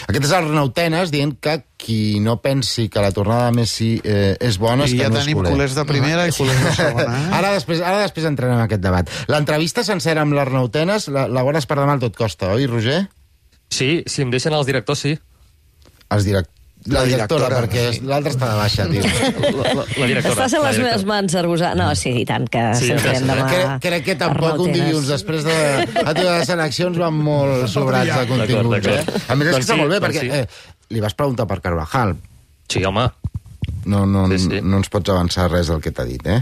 Aquest és Arnau Tenes dient que qui no pensi que la tornada de Messi eh, és bona és I que ja no és tenim culer. culers de primera i culers de segona. Eh? Ara després, ara després entrarem en aquest debat. L'entrevista sencera amb l'Arnau Tenes la, la guardes per demà al tot costa, oi, Roger? Sí, si em deixen els directors, sí. Els direct... La, La directora, directora, perquè sí. l'altra està de baixa, tio. La, la, la directora. Estàs a les la meves mans, Arbusà. No, sí, i tant, que Sí, se'n ja fem sé. demà. Crec, crec que tampoc Arnau un Tenes. dilluns després de la teva de seleccions van molt sobrats de continguts, D'acord, eh? d'acord. A més, és que Doncs està sí, molt bé, doncs perquè sí. eh, li vas preguntar per Carvajal. Sí, home. No, no, Sí, sí. no ens pots avançar res del que t'ha dit, eh?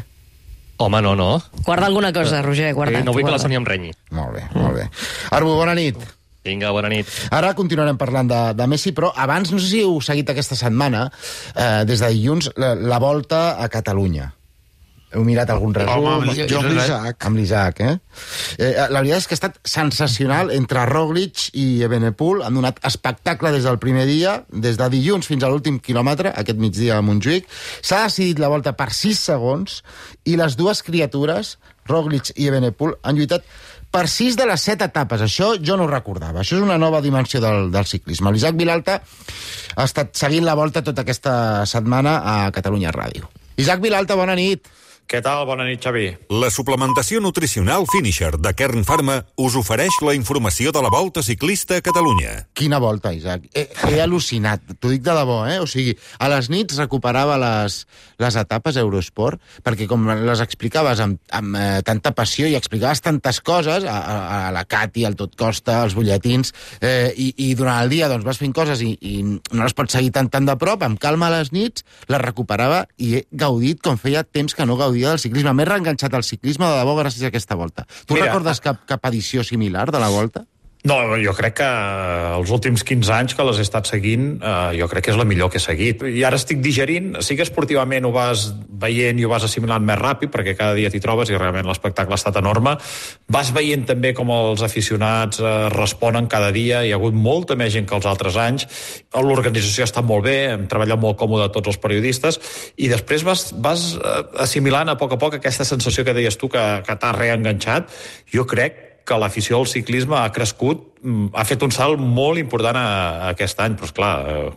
Home, no, no. Guarda alguna cosa, Roger, guarda. Eh, no vull que la guarda. Sònia em renyi. Molt bé, molt bé. Arbu, bona nit. Vinga, bona nit. Ara continuarem parlant de, de Messi, però abans, no sé si heu seguit aquesta setmana, eh, des de dilluns, la, la volta a Catalunya. Heu mirat algun resum? Home, amb- jo amb l'Isaac. Amb l'Isaac, eh? eh? La veritat és que ha estat sensacional entre Roglic i Evenepoel. Han donat espectacle des del primer dia, des de dilluns fins a l'últim quilòmetre, aquest migdia a Montjuïc. S'ha decidit la volta per sis segons i les dues criatures, Roglic i Evenepoel, han lluitat per sis de les set etapes. Això jo no ho recordava. Això és una nova dimensió del, del ciclisme. L'Isaac Vilalta ha estat seguint la volta tota aquesta setmana a Catalunya Ràdio. Isaac Vilalta, bona nit. Què tal? Bona nit, Xavi. La suplementació nutricional Finisher de Kern Pharma us ofereix la informació de la Volta Ciclista a Catalunya. Quina volta, Isaac. He, he al·lucinat, t'ho dic de debò, eh? O sigui, a les nits recuperava les, les etapes Eurosport, perquè com les explicaves amb, amb eh, tanta passió i explicaves tantes coses, a, a, a la Cati, al Tot Costa, als butlletins, eh, i, i durant el dia doncs, vas fent coses i, i no les pots seguir tan, tan de prop, amb calma a les nits, les recuperava i he gaudit com feia temps que no gaudia del ciclisme. M'he reenganxat al ciclisme de debò gràcies a aquesta volta. Tu Mira, recordes cap, cap edició similar de la volta? No, jo crec que els últims quinze anys que les he estat seguint, eh, jo crec que és la millor que he seguit. I ara estic digerint, sí que esportivament ho vas veient i ho vas assimilant més ràpid, perquè cada dia t'hi trobes i realment l'espectacle ha estat enorme. Vas veient també com els aficionats eh, responen cada dia, hi ha hagut molta més gent que els altres anys, l'organització ha estat molt bé, hem treballat molt còmode tots els periodistes, i després vas, vas assimilant a poc a poc aquesta sensació que deies tu que, que t'ha reenganxat. Jo crec que l'afició al ciclisme ha crescut, ha fet un salt molt important a, a aquest any, però esclar,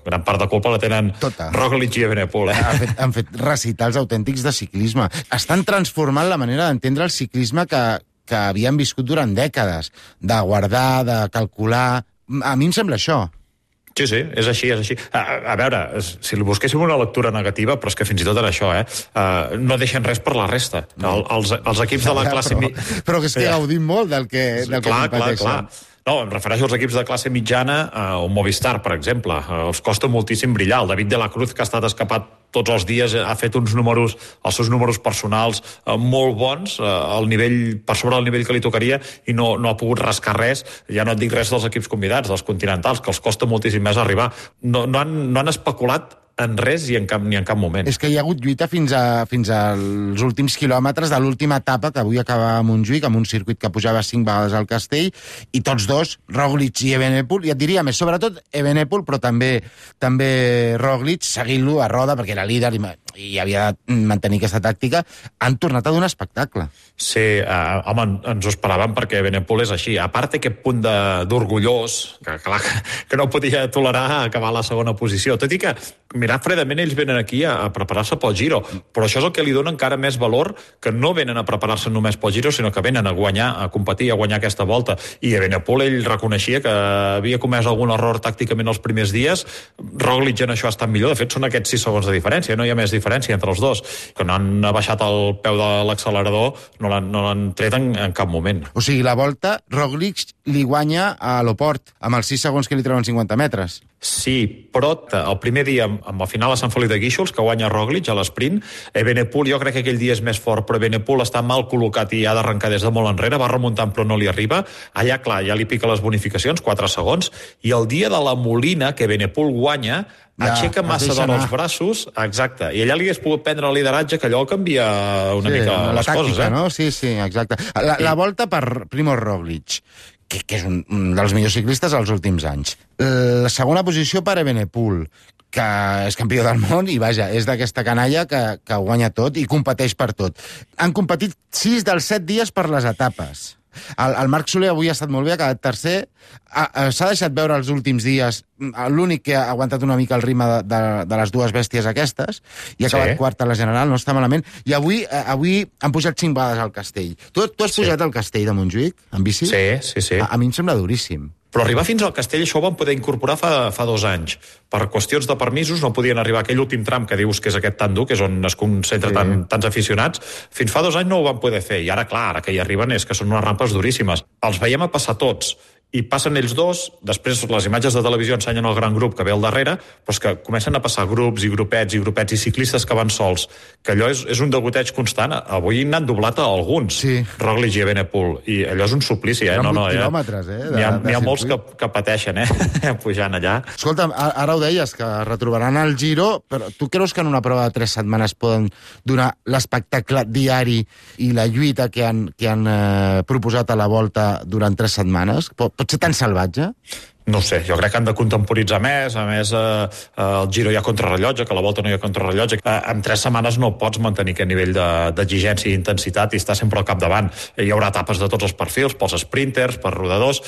gran part de culpa la tenen Tota. Roglic i Evenepoel. Eh? Han fet, han fet recitals autèntics de ciclisme. Estan transformant la manera d'entendre el ciclisme que, que havien viscut durant dècades, de guardar, de calcular. A mi em sembla això. Sí, sí, és així, és així. A, a veure, si li busquéssim una lectura negativa, però és que fins i tot era això, eh? Uh, no deixen res per la resta. No. El, els, els equips de la classe... Però, però que és que gaudim molt del que, del que clar, competeixen. Clar, clar. No, em refereixo als equips de classe mitjana, eh, o Movistar, per exemple. Eh, els costa moltíssim brillar. El David de la Cruz, que ha estat escapat tots els dies, ha fet uns números, els seus números personals eh, molt bons, eh, al nivell, per sobre del nivell que li tocaria, i no, no ha pogut rascar res. Ja no et dic res dels equips convidats, dels continentals, que els costa moltíssim més arribar. No, no, han, no han especulat en res i en cap, ni en cap moment. És que hi ha hagut lluita fins, a, fins als últims quilòmetres de l'última etapa, que avui acaba a Montjuïc, amb un circuit que pujava cinc vegades al Castell, i tots dos, Roglic i Evenepoel, i et diria més, sobretot Evenepoel, però també també Roglic, seguint-lo a roda, perquè era líder i, i havia de mantenir aquesta tàctica, han tornat a donar espectacle. Sí, eh, home, ens ho esperàvem, perquè Evenepoel és així. A part aquest punt d'orgullós, que, clar, que no podia tolerar acabar a la segona posició. Tot i que, mirar fredament, ells venen aquí a, a preparar-se pel Giro, però això és el que li dona encara més valor, que no venen a preparar-se només pel Giro, sinó que venen a guanyar, a competir, a guanyar aquesta volta. I Evenepoel, ell reconeixia que havia comès algun error tàcticament els primers dies. Roglic en això ha estat millor. De fet, són aquests sis segons de diferència, no hi ha més diferència entre els dos. Que no han baixat el peu de l'accelerador, no l'han no l'han tret en, en cap moment. O sigui, la volta, Roglic li guanya a l'Oport, amb els sis segons que li treuen cinquanta metres. Sí, però el primer dia, amb el final a Sant Feliu de Guíxols, que guanya Roglic a l'esprint, Evenepoel, jo crec que aquell dia és més fort, però Evenepoel està mal col·locat i ha d'arrencar des de molt enrere, va remuntant però no li arriba. Allà, clar, ja li pica les bonificacions, quatre segons, i el dia de la Molina, que Evenepoel guanya, ja, aixeca massa de els braços, exacte, i allà li hagués pogut prendre el lideratge, que allò canvia una sí, mica la les tàctica, coses, eh? No? Sí, sí, exacte. La, la volta per Primož Roglic, que, que és un, un dels millors ciclistes dels últims anys. La segona posició per Evenepoel, que és campió del món i, vaja, és d'aquesta canalla que, que ho guanya tot i competeix per tot. Han competit sis dels set dies per les etapes. El, el Marc Soler avui ha estat molt bé, ha quedat tercer. S'ha deixat veure els últims dies, l'únic que ha aguantat una mica el ritme de, de, de les dues bèsties aquestes, i ha acabat sí. quart a la general, no està malament. I avui avui han pujat cinc vegades al Castell. Tu, tu has sí. pujat al Castell de Montjuïc, en bici? Sí, sí, sí. A, a mi em sembla duríssim. Però arribar fins al Castell això ho van poder incorporar fa, fa dos anys. Per qüestions de permisos no podien arribar a aquell últim tram que dius que és aquest tan dur, que és on es concentra sí. tant, tants aficionats. Fins fa dos anys no ho van poder fer. I ara, clar, ara que hi arriben és que són unes rampes duríssimes. Els veiem a passar tots. I passen ells dos, després les imatges de televisió ensenyen el gran grup que ve al darrere, però és que comencen a passar grups i grupets i grupets i ciclistes que van sols, que allò és, és un degoteig constant. Avui n'han doblat a alguns, sí. Roglic i Evenepoel, i allò és un suplici, eh? No, no, quilòmetres, eh? N'hi ha, ha molts que, que pateixen, eh? Pujant allà. Escolta, ara ho deies, que retrobaran el Giro, però tu creus que en una prova de tres setmanes poden donar l'espectacle diari i la lluita que han, que han eh, proposat a la volta durant tres setmanes? Pot Pot ser tan salvatge? No ho sé, jo crec que han de contemporitzar més, a més eh, el Giro hi ha contrarrellotge, que a la Volta no hi ha contrarrellotge. Eh, en tres setmanes no pots mantenir aquest nivell d'exigència i intensitat i estar sempre al capdavant. Hi haurà etapes de tots els perfils, pels sprinters, per rodadors.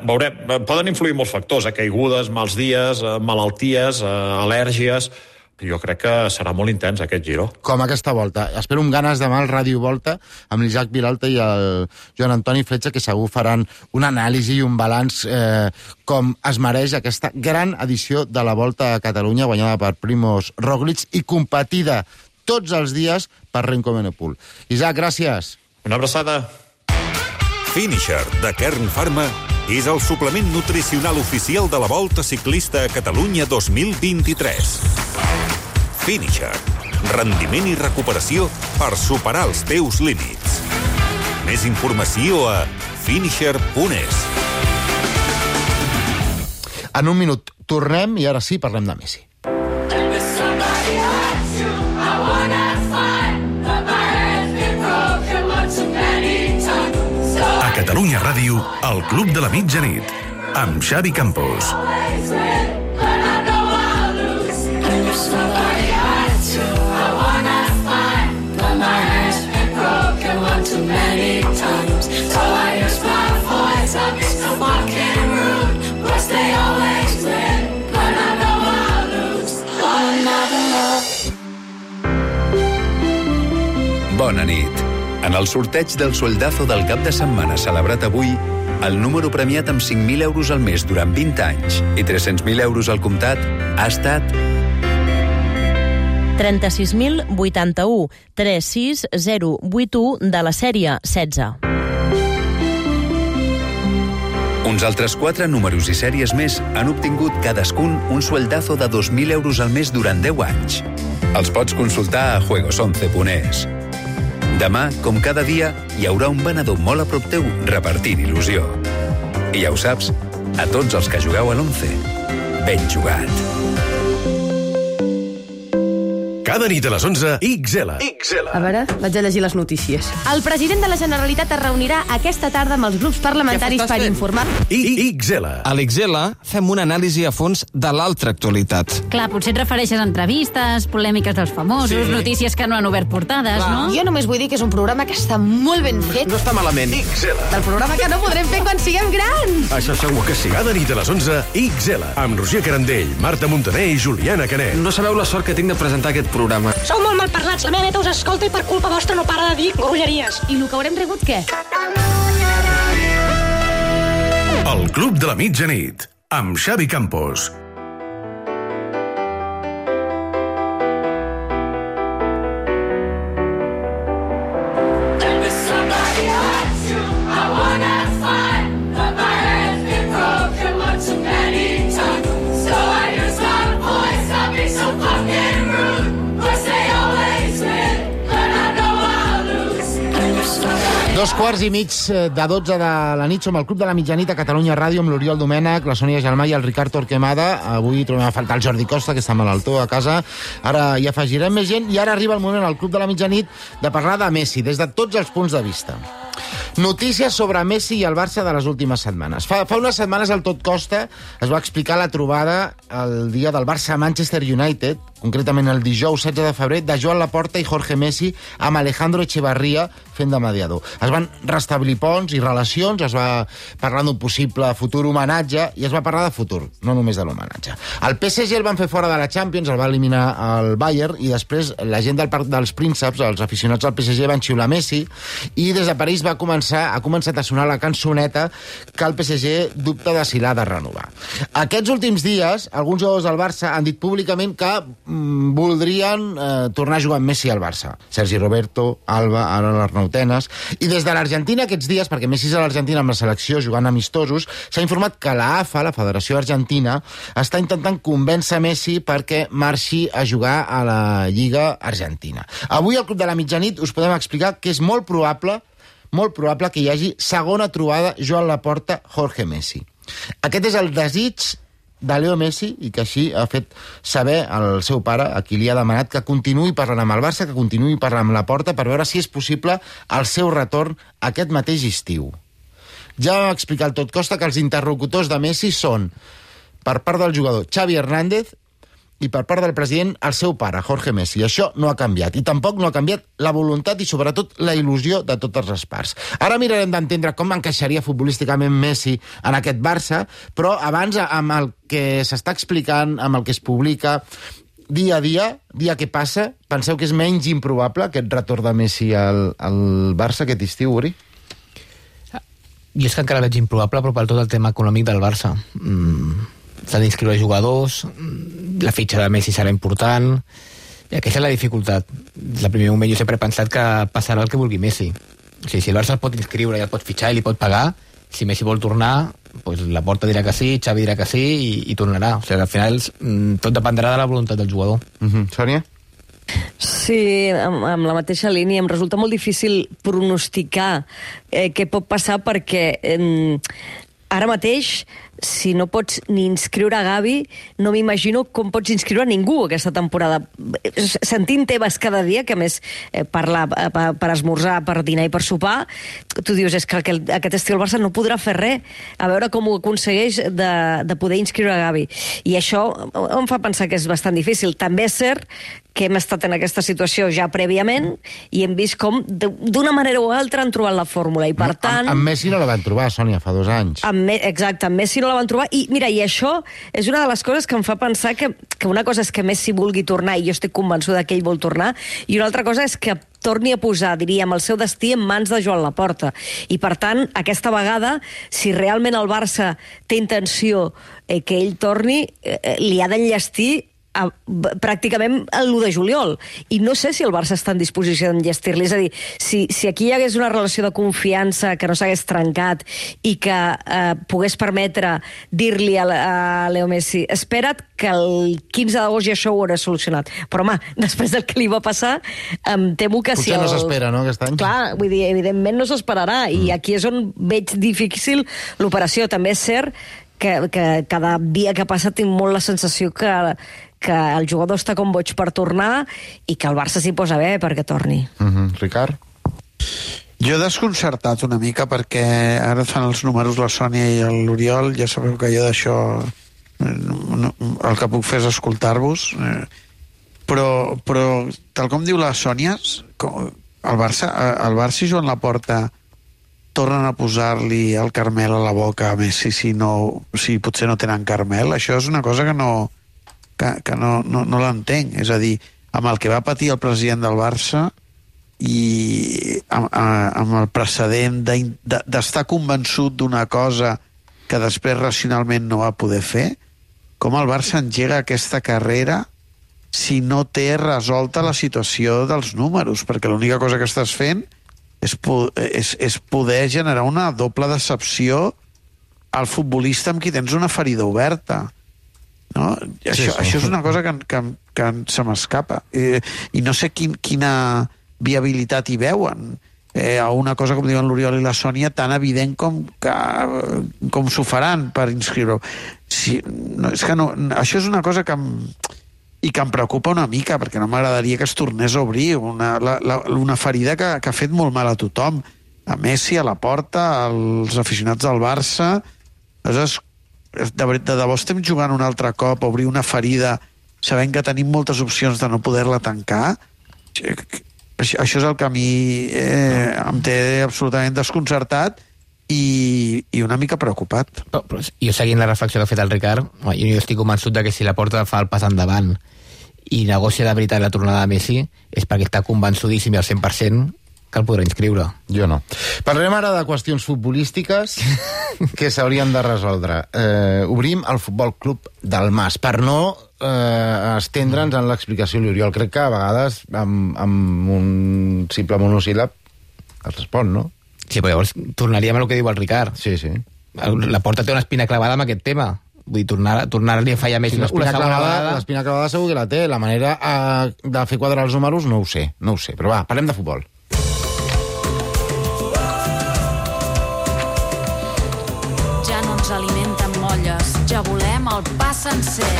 Veurem, poden influir molts factors, eh, caigudes, mals dies, eh, malalties, eh, al·lèrgies. Jo crec que serà molt intens aquest Giro. Com aquesta volta. Espero amb ganes demà al Ràdio Volta amb l'Isaac Vilalta i el Joan Antoni Fletxa, que segur faran una anàlisi i un balanç eh, com es mereix aquesta gran edició de la Volta a Catalunya, guanyada per Primož Roglič i competida tots els dies per Remco Evenepoel. Isaac, gràcies. Una abraçada. Finisher, de Kern Pharma, és el suplement nutricional oficial de la Volta Ciclista a Catalunya dos mil vint-i-tres. Finisher, rendiment i recuperació per superar els teus límits. Més informació a finisher punt es. En un minut tornem i ara sí parlem de Messi. A Catalunya Ràdio, el Club de la Mitjanit, amb Xavi Campos. Bona nit. En el sorteig del sueldazo del cap de setmana celebrat avui, el número premiat amb cinc mil euros al mes durant vint anys i tres-cents mil euros al comptat ha estat trenta-sis mil vuitanta-u, tres sis zero vuit u de la sèrie setze. Uns altres quatre números i sèries més han obtingut cadascun un sueldazo de dos mil euros al mes durant deu anys. Els pots consultar a juegos once punt es. Demà, com cada dia, hi haurà un venedor molt a prop teu repartint il·lusió. I ja ho saps, a tots els que jugueu a l'once, ben jugat. Cada nit a les onze, X L. A veure, vaig a llegir les notícies. El president de la Generalitat es reunirà aquesta tarda amb els grups parlamentaris per informar... X L. A l'X L fem una anàlisi a fons de l'altra actualitat. Clar, potser et refereixes a entrevistes, polèmiques dels famosos, sí. Notícies que no han obert portades, Clar. no? Jo només vull dir que és un programa que està molt ben fet. No està malament. X L. Del programa que no podrem fer quan siguem grans. Això segur que sí. Cada nit a les onze, X L. Amb Roger Carandell, Marta Montaner i Juliana Canet. No sabeu la sort que tinc de presentar aquest programa. Sou molt malparlats, la meva neta us escolta i per culpa vostra no para de dir grolleries. I el que haurem rebut, què? El Club de la Mitjanit, amb Xavi Campos. Dos quarts i mig de dotze de la nit som al Club de la Mitjanit a Catalunya Ràdio amb l'Oriol Domènech, la Sònia Gelmà i el Ricard Torquemada. Avui trobem a faltar el Jordi Costa, que està malaltó a casa. Ara hi afegirem més gent i ara arriba el moment al Club de la Mitjanit de parlar de Messi des de tots els punts de vista. Notícies sobre Messi i el Barça de les últimes setmanes. Fa, fa unes setmanes el Tot Costa es va explicar la trobada el dia del Barça-Manchester United, concretament el dijous setze de febrer, de Joan Laporta i Jorge Messi amb Alejandro Echevarría fent de mediador. Es van restablir ponts i relacions, es va parlar d'un possible futur homenatge i es va parlar de futur, no només de l'homenatge. El P S G el van fer fora de la Champions, el va eliminar el Bayern i després la gent del Parc dels Prínceps, els aficionats del P S G, van xiular Messi i des de París va començar, ha començat a sonar la cançoneta que el P S G dubta de si l'ha de renovar. Aquests últims dies, alguns jugadors del Barça han dit públicament que mm, voldrien eh, tornar a jugar amb Messi al Barça. Sergi Roberto, Alba, ara l'Arnau Tenas. I des de l'Argentina aquests dies, perquè Messi és a l'Argentina amb la selecció jugant amistosos, s'ha informat que la A F A, la Federació Argentina, està intentant convèncer Messi perquè marxi a jugar a la Lliga Argentina. Avui al Club de la Mitjanit us podem explicar que és molt probable molt probable que hi hagi segona trobada Joan Laporta-Jorge Messi. Aquest és el desig de Leo Messi i que així ha fet saber al seu pare, a qui li ha demanat que continuï parlant amb el Barça, que continuï parlant amb Laporta per veure si és possible el seu retorn aquest mateix estiu. Ja vam explicar al Tot Costa que els interlocutors de Messi són, per part del jugador, Xavi Hernández, i per part del president, el seu pare, Jorge Messi. Això no ha canviat. I tampoc no ha canviat la voluntat i, sobretot, la il·lusió de totes les parts. Ara mirarem d'entendre com encaixaria futbolísticament Messi en aquest Barça, però abans, amb el que s'està explicant, amb el que es publica dia a dia, dia que passa, penseu que és menys improbable aquest retorn de Messi al, al Barça aquest estiu, Uri? Jo és que encara veig improbable, però per tot el tema econòmic del Barça. Mm. S'han d'inscriure jugadors, la fitxa de Messi serà important, i aquesta és la dificultat. Des del primer moment jo sempre he pensat que passarà el que vulgui Messi. O sigui, si el Barça el pot inscriure i el pot fitxar i li pot pagar, si Messi vol tornar, pues la Porta dirà que sí, Xavi dirà que sí, i, i tornarà. O sigui, al final tot dependrà de la voluntat del jugador. Mm-hmm. Sònia? Sí, amb, amb la mateixa línia. Em resulta molt difícil pronosticar eh, què pot passar perquè eh, ara mateix, si no pots ni inscriure a Gavi, no m'imagino com pots inscriure a ningú aquesta temporada. Sentint Tebas cada dia, que a més eh, parla eh, per, per esmorzar, per dinar i per sopar, tu dius, és que aquest, aquest estiu el Barça no podrà fer res, a veure com ho aconsegueix de, de poder inscriure a Gavi. I això em fa pensar que és bastant difícil. També és cert que hem estat en aquesta situació ja prèviament i hem vist com d'una manera o altra han trobat la fórmula, i per no, tant... Amb, amb Messi no la van trobar, Sònia, fa dos anys. Amb Me... Exacte, amb Messi no la van trobar, i mira, i això és una de les coses que em fa pensar que, que una cosa és que Messi vulgui tornar, i jo estic convençuda que ell vol tornar, i una altra cosa és que torni a posar, diríem, el seu destí en mans de Joan Laporta. I, per tant, aquesta vegada, si realment el Barça té intenció eh, que ell torni, eh, li ha d'enllestir a, pràcticament l'u de juliol. I no sé si el Barça està en disposició d'enllestir-li. És a dir, si, si aquí hi hagués una relació de confiança que no s'hagués trencat i que eh, pogués permetre dir-li a, a Leo Messi, espera't que el quinze d'agost ja això ho haurà solucionat. Però, home, després del que li va passar, em temo que Potser si el... no s'espera, no, aquest any? Clar, vull dir, evidentment no s'esperarà, mm. i aquí és on veig difícil l'operació. També és cert que, que cada dia que passa tinc molt la sensació que, que el jugador està com boig per tornar i que el Barça s'hi posa bé perquè torni. Mm-hmm. Ricard? Jo he desconcertat una mica perquè ara fan els números la Sònia i l'Oriol, ja sabeu que jo d'això el que puc fer és escoltar-vos, però, però tal com diu la Sònia, el Barça, el Barça i Joan Laporta tornen a posar-li el Carmel a la boca a Messi si, no, si potser no tenen Carmel. Això és una cosa que no, que, que no, no, no l'entenc. És a dir, amb el que va patir el president del Barça i amb, amb el precedent d'estar convençut d'una cosa que després racionalment no va poder fer, com el Barça engega aquesta carrera si no té resolta la situació dels números, perquè l'única cosa que estàs fent és, és, és poder generar una doble decepció al futbolista amb qui tens una ferida oberta. No? Això, sí, sí. Això és una cosa que, que, que se m'escapa. I, I no sé quin, quina viabilitat hi veuen. Eh, a una cosa, com diuen l'Oriol i la Sònia, tan evident com, que, com s'ho faran per inscriure-ho. Sí, no, és que no, això és una cosa que em, i que em preocupa una mica, perquè no m'agradaria que es tornés a obrir una, la, la, una ferida que, que ha fet molt mal a tothom, a Messi, a Laporta, als aficionats del Barça. Aleshores, de, de debò estem jugant un altre cop a obrir una ferida sabent que tenim moltes opcions de no poder-la tancar. Això, això és el que a mi eh, em té absolutament desconcertat i, i una mica preocupat. Però, però jo seguint la reflexió que ha fet el Ricard, jo estic convençut de que si Laporta fa el pas endavant i negocia de veritat la tornada de Messi és perquè està convençudíssim i al cent per cent que el podrà inscriure. Jo no. Parlarem ara de qüestions futbolístiques que s'haurien de resoldre. Eh, obrim el Futbol Club del Mas, per no eh, estendre'ns en l'explicació a l'Oriol. Crec que a vegades amb, amb un simple monosíl·lab es respon, no? Sí, però llavors tornaríem a el que diu el Ricard. Sí, sí. Laporta té una espina clavada amb aquest tema. Vull dir, tornar, tornar-li a fallar més sí, una, una segona vegada... L'espina clavada segur que la té. La manera eh, de fer quadrar els números no ho sé, no ho sé. Però va, parlem de futbol. Ja no ens alimenten molles, ja volem el pa sencer.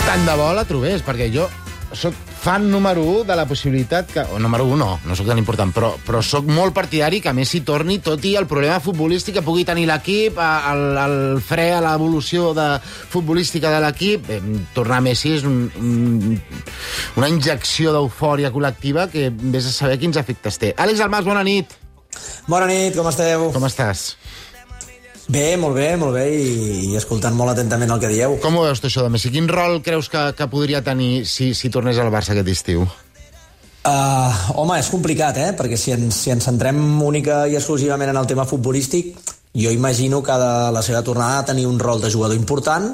Tant de bo la trobés, perquè jo soc fan número un de la possibilitat que... O número un no, no sóc tan important, però, però sóc molt partidari que Messi torni, tot i el problema futbolístic que pugui tenir l'equip, el, el fre a l'evolució de, futbolística de l'equip. Eh, tornar a Messi és un, un, una injecció d'eufòria col·lectiva que vés a saber quins efectes té. Àlex Almàs, bona nit. Bona nit, com esteu? Com estàs? Bé, molt bé, molt bé, i, i escoltant molt atentament el que dieu. Com ho veus, tu, això de Messi? Quin rol creus que, que podria tenir si, si tornés al Barça aquest estiu? Uh, home, és complicat, eh? Perquè si ens, si ens centrem única i exclusivament en el tema futbolístic, jo imagino que de la seva tornada ha de tenir un rol de jugador important,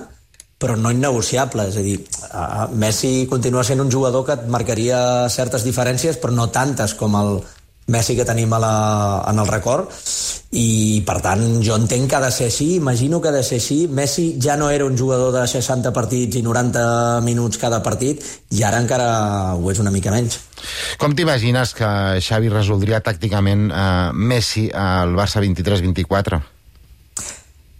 però no innegociable. És a dir, uh, Messi continua sent un jugador que et marcaria certes diferències, però no tantes com el Messi que tenim a la, en el record, i per tant jo entenc que ha de ser així, imagino que ha de ser així. Messi ja no era un jugador de seixanta partits i noranta minuts cada partit, i ara encara ho és una mica menys. Com t'imagines que Xavi resoldria tàcticament eh, Messi al Barça vint-i-tres vint-i-quatre?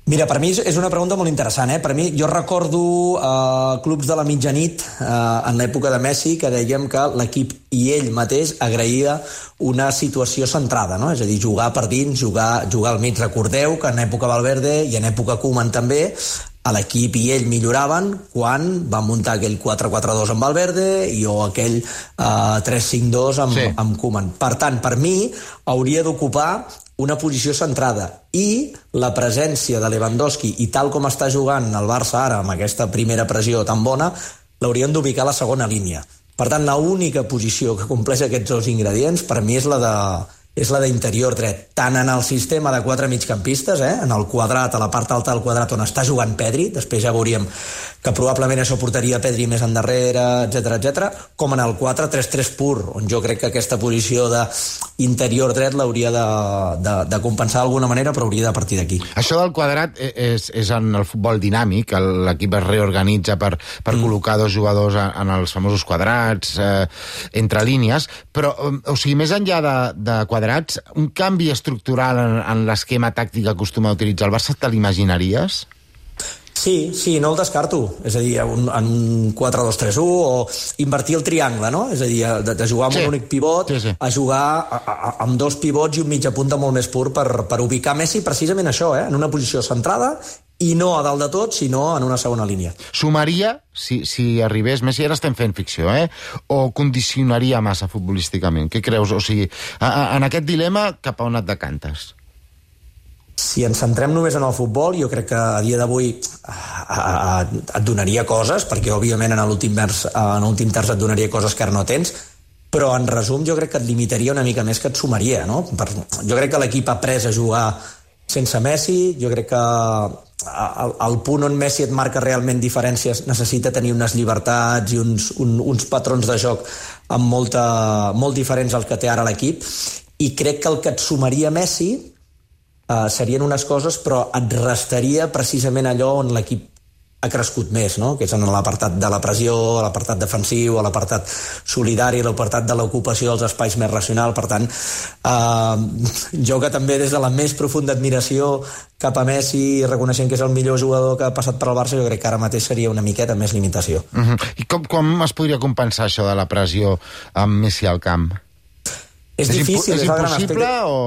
Mira, per mi és una pregunta molt interessant, eh? Per mi, jo recordo eh, clubs de la mitjanit eh, en l'època de Messi que dèiem que l'equip i ell mateix agraïa una situació centrada, no? És a dir, jugar per dins, jugar, jugar al mig. Recordeu que en època Valverde i en època Koeman també, a l'equip i ell milloraven quan van muntar aquell quatre quatre dos amb Valverde i o aquell eh, tres cinc dos amb, sí. amb Koeman. Per tant, per mi, hauria d'ocupar una posició centrada, i la presència de Lewandowski, i tal com està jugant el Barça ara, amb aquesta primera pressió tan bona, l'haurien d'ubicar a la segona línia. Per tant, l'única posició que compleix aquests dos ingredients, per mi és la de és la d'interior dret, tant en el sistema de quatre migcampistes, eh? En el quadrat, a la part alta del quadrat on està jugant Pedri, després ja veuríem que probablement això portaria Pedri més endarrere, etcètera, etcètera, com en el quatre tres tres pur, on jo crec que aquesta posició d'interior dret l'hauria de, de, de compensar d'alguna manera, però hauria de partir d'aquí. Això del quadrat és, és en el futbol dinàmic, l'equip es reorganitza per, per mm. col·locar dos jugadors en els famosos quadrats, eh, entre línies, però, o sigui, més enllà de, de quadrats, un canvi estructural en, en l'esquema tàctic que acostuma a utilitzar el Barça, te l'imaginaries? Sí, sí, no el descarto. És a dir, un, en un quatre dos tres u o invertir el triangle, no? És a dir, de, de jugar amb sí. un únic pivot sí, sí. a jugar a, a, amb dos pivots i un mitja punta molt més pur per, per ubicar Messi precisament això, eh? En una posició centrada i no a dalt de tot, sinó en una segona línia. Sumaria, si, si arribés, Messi, ara estem fent ficció, eh? O condicionaria massa futbolísticament? Què creus? O sigui, a, a, en aquest dilema, cap a on et decantes? Si ens centrem només en el futbol, jo crec que a dia d'avui et donaria coses, perquè òbviament en l'últim terç, en l'últim terç et donaria coses que ara no tens, però en resum jo crec que et limitaria una mica més que et sumaria, no? Per, jo crec que l'equip ha après a jugar sense Messi, jo crec que el, el punt on Messi et marca realment diferències necessita tenir unes llibertats i uns, un, uns patrons de joc amb molta, molt diferents als que té ara l'equip, i crec que el que et sumaria Messi uh, serien unes coses, però et restaria precisament allò on l'equip ha crescut més, no? Que és en l'apartat de la pressió, a l'apartat defensiu, a l'apartat solidari, a l'apartat de l'ocupació dels espais més racional. Per tant, eh, jo que també des de la més profunda admiració cap a Messi, reconeixent que és el millor jugador que ha passat per al Barça, jo crec que ara mateix seria una miqueta més limitació. Uh-huh. I com, com es podria compensar això de la pressió amb Messi al camp? És, és difícil, és, és impossible o...?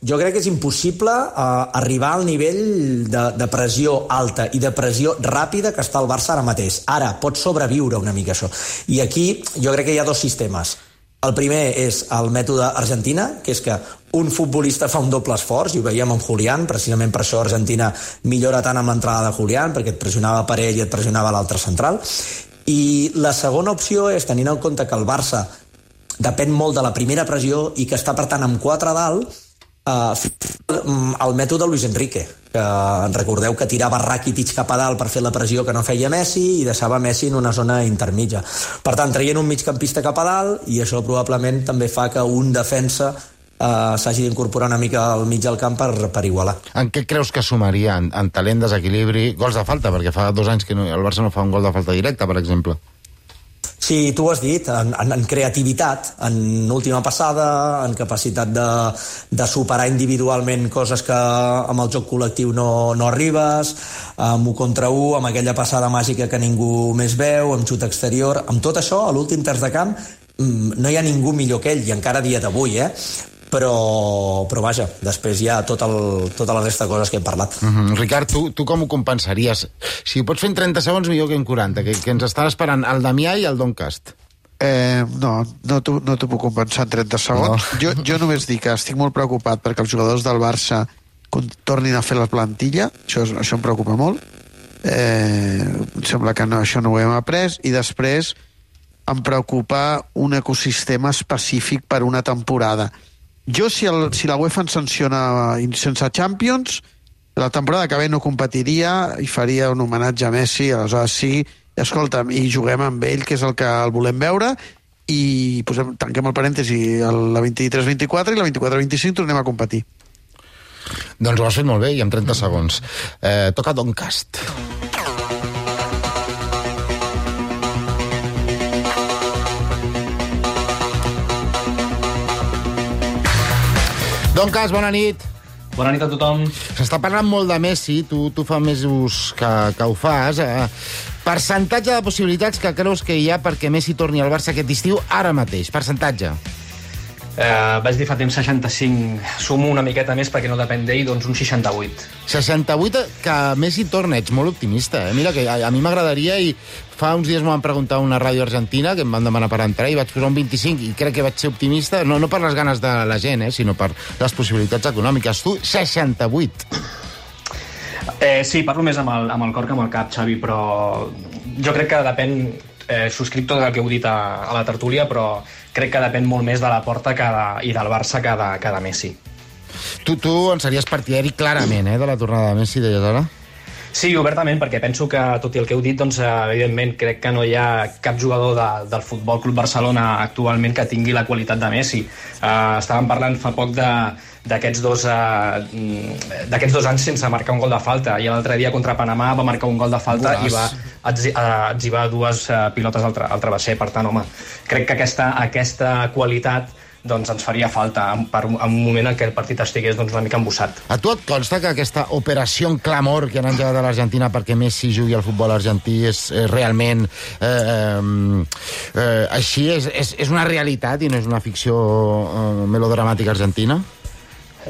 Jo crec que és impossible uh, arribar al nivell de, de pressió alta i de pressió ràpida que està el Barça ara mateix. Ara, pot sobreviure una mica això. I aquí jo crec que hi ha dos sistemes. El primer és el mètode Argentina, que és que un futbolista fa un doble esforç, i ho veiem amb Julián, precisament per això Argentina millora tant amb l'entrada de Julián, perquè et pressionava per ell i et pressionava l'altre central. I la segona opció és, tenint en compte que el Barça depèn molt de la primera pressió i que està, per tant, amb quatre a dalt, Uh, el mètode Luis Enrique, que recordeu que tirava Rakitic cap a dalt per fer la pressió que no feia Messi i deixava Messi en una zona intermitja. Per tant, traient un migcampista cap a dalt, i això probablement també fa que un defensa uh, s'hagi d'incorporar una mica al mig del camp per, per igualar. En què creus que sumaria? En, en talent, desequilibri, gols de falta? Perquè fa dos anys que no, el Barça no fa un gol de falta directa, per exemple. Sí, tu ho has dit, en, en, en creativitat, en última passada, en capacitat de, de superar individualment coses que amb el joc col·lectiu no, no arribes, amb un contra un, amb aquella passada màgica que ningú més veu, amb xut exterior, amb tot això, a l'últim terç de camp, no hi ha ningú millor que ell, i encara a dia d'avui, eh? Però, però vaja, després hi ha tot el, tota la resta de coses que hem parlat. Mm-hmm. Ricard, tu, tu com ho compensaries? Si ho pots fer en trenta segons, millor que en quaranta, que, que ens estan esperant el Damià i el Doncast. Eh, no, no t'ho no puc compensar en trenta segons. No. Jo, jo només dic que estic molt preocupat perquè els jugadors del Barça tornin a fer la plantilla, això, això em preocupa molt. Eh, em sembla que no, això no ho hem après, i després em preocupa un ecosistema específic per una temporada. Jo, si, el, si la UEFA ens sanciona sense Champions, la temporada que ve no competiria i faria un homenatge a Messi, aleshores sí, escolta'm, i juguem amb ell, que és el que el volem veure, i posem, tanquem el parèntesi, la vint-i-tres vint-i-quatre i la vint-i-quatre vint-i-cinc tornem a competir. Doncs ho has fet molt bé, i en trenta segons. Eh, toca Doncast. Doncast, bona nit. Bona nit a tothom. S'està parlant molt de Messi, tu, tu fa mesos que, que ho fas. Eh? Percentatge de possibilitats que creus que hi ha perquè Messi torni al Barça aquest estiu ara mateix? Percentatge. Eh, vaig dir fa temps seixanta-cinc, sumo una miqueta més perquè no depèn d'ell, doncs un seixanta-vuit. seixanta-vuit que Messi torna, ets molt optimista, eh? Mira que a, a mi m'agradaria, i fa uns dies m'ho van preguntar a una ràdio argentina que em van demanar per entrar i vaig posar un vint-i-cinc i crec que vaig ser optimista, no, no per les ganes de la gent, eh, sinó per les possibilitats econòmiques. Tu, seixanta-vuit. Eh, sí, parlo més amb el, amb el cor que amb el cap, Xavi, però jo crec que depèn, eh, subscric tot el que heu dit a, a la tertúlia, però crec que depèn molt més de la Porta que de, i del Barça que de, que de Messi. Tu, tu en series partidari clarament, eh, de la tornada de Messi, deies ara? Sí, obertament, perquè penso que, tot i el que heu dit, doncs, evidentment, crec que no hi ha cap jugador de, del Futbol Club Barcelona actualment que tingui la qualitat de Messi. Uh, estàvem parlant fa poc de, d'aquests dos, uh, d'aquests dos anys sense marcar un gol de falta, i l'altre dia contra Panamà va marcar un gol de falta i va atzivar dues uh, pilotes al, tra al travesser. Per tant, home, crec que aquesta, aquesta qualitat doncs ens faria falta per un, en un moment en què el partit estigués doncs, una mica embussat. A tu et consta que aquesta operació en clamor que han engegat a l'Argentina perquè Messi jugui al futbol argentí és eh, realment eh, eh, eh, així? És, és, és una realitat i no és una ficció eh, melodramàtica argentina?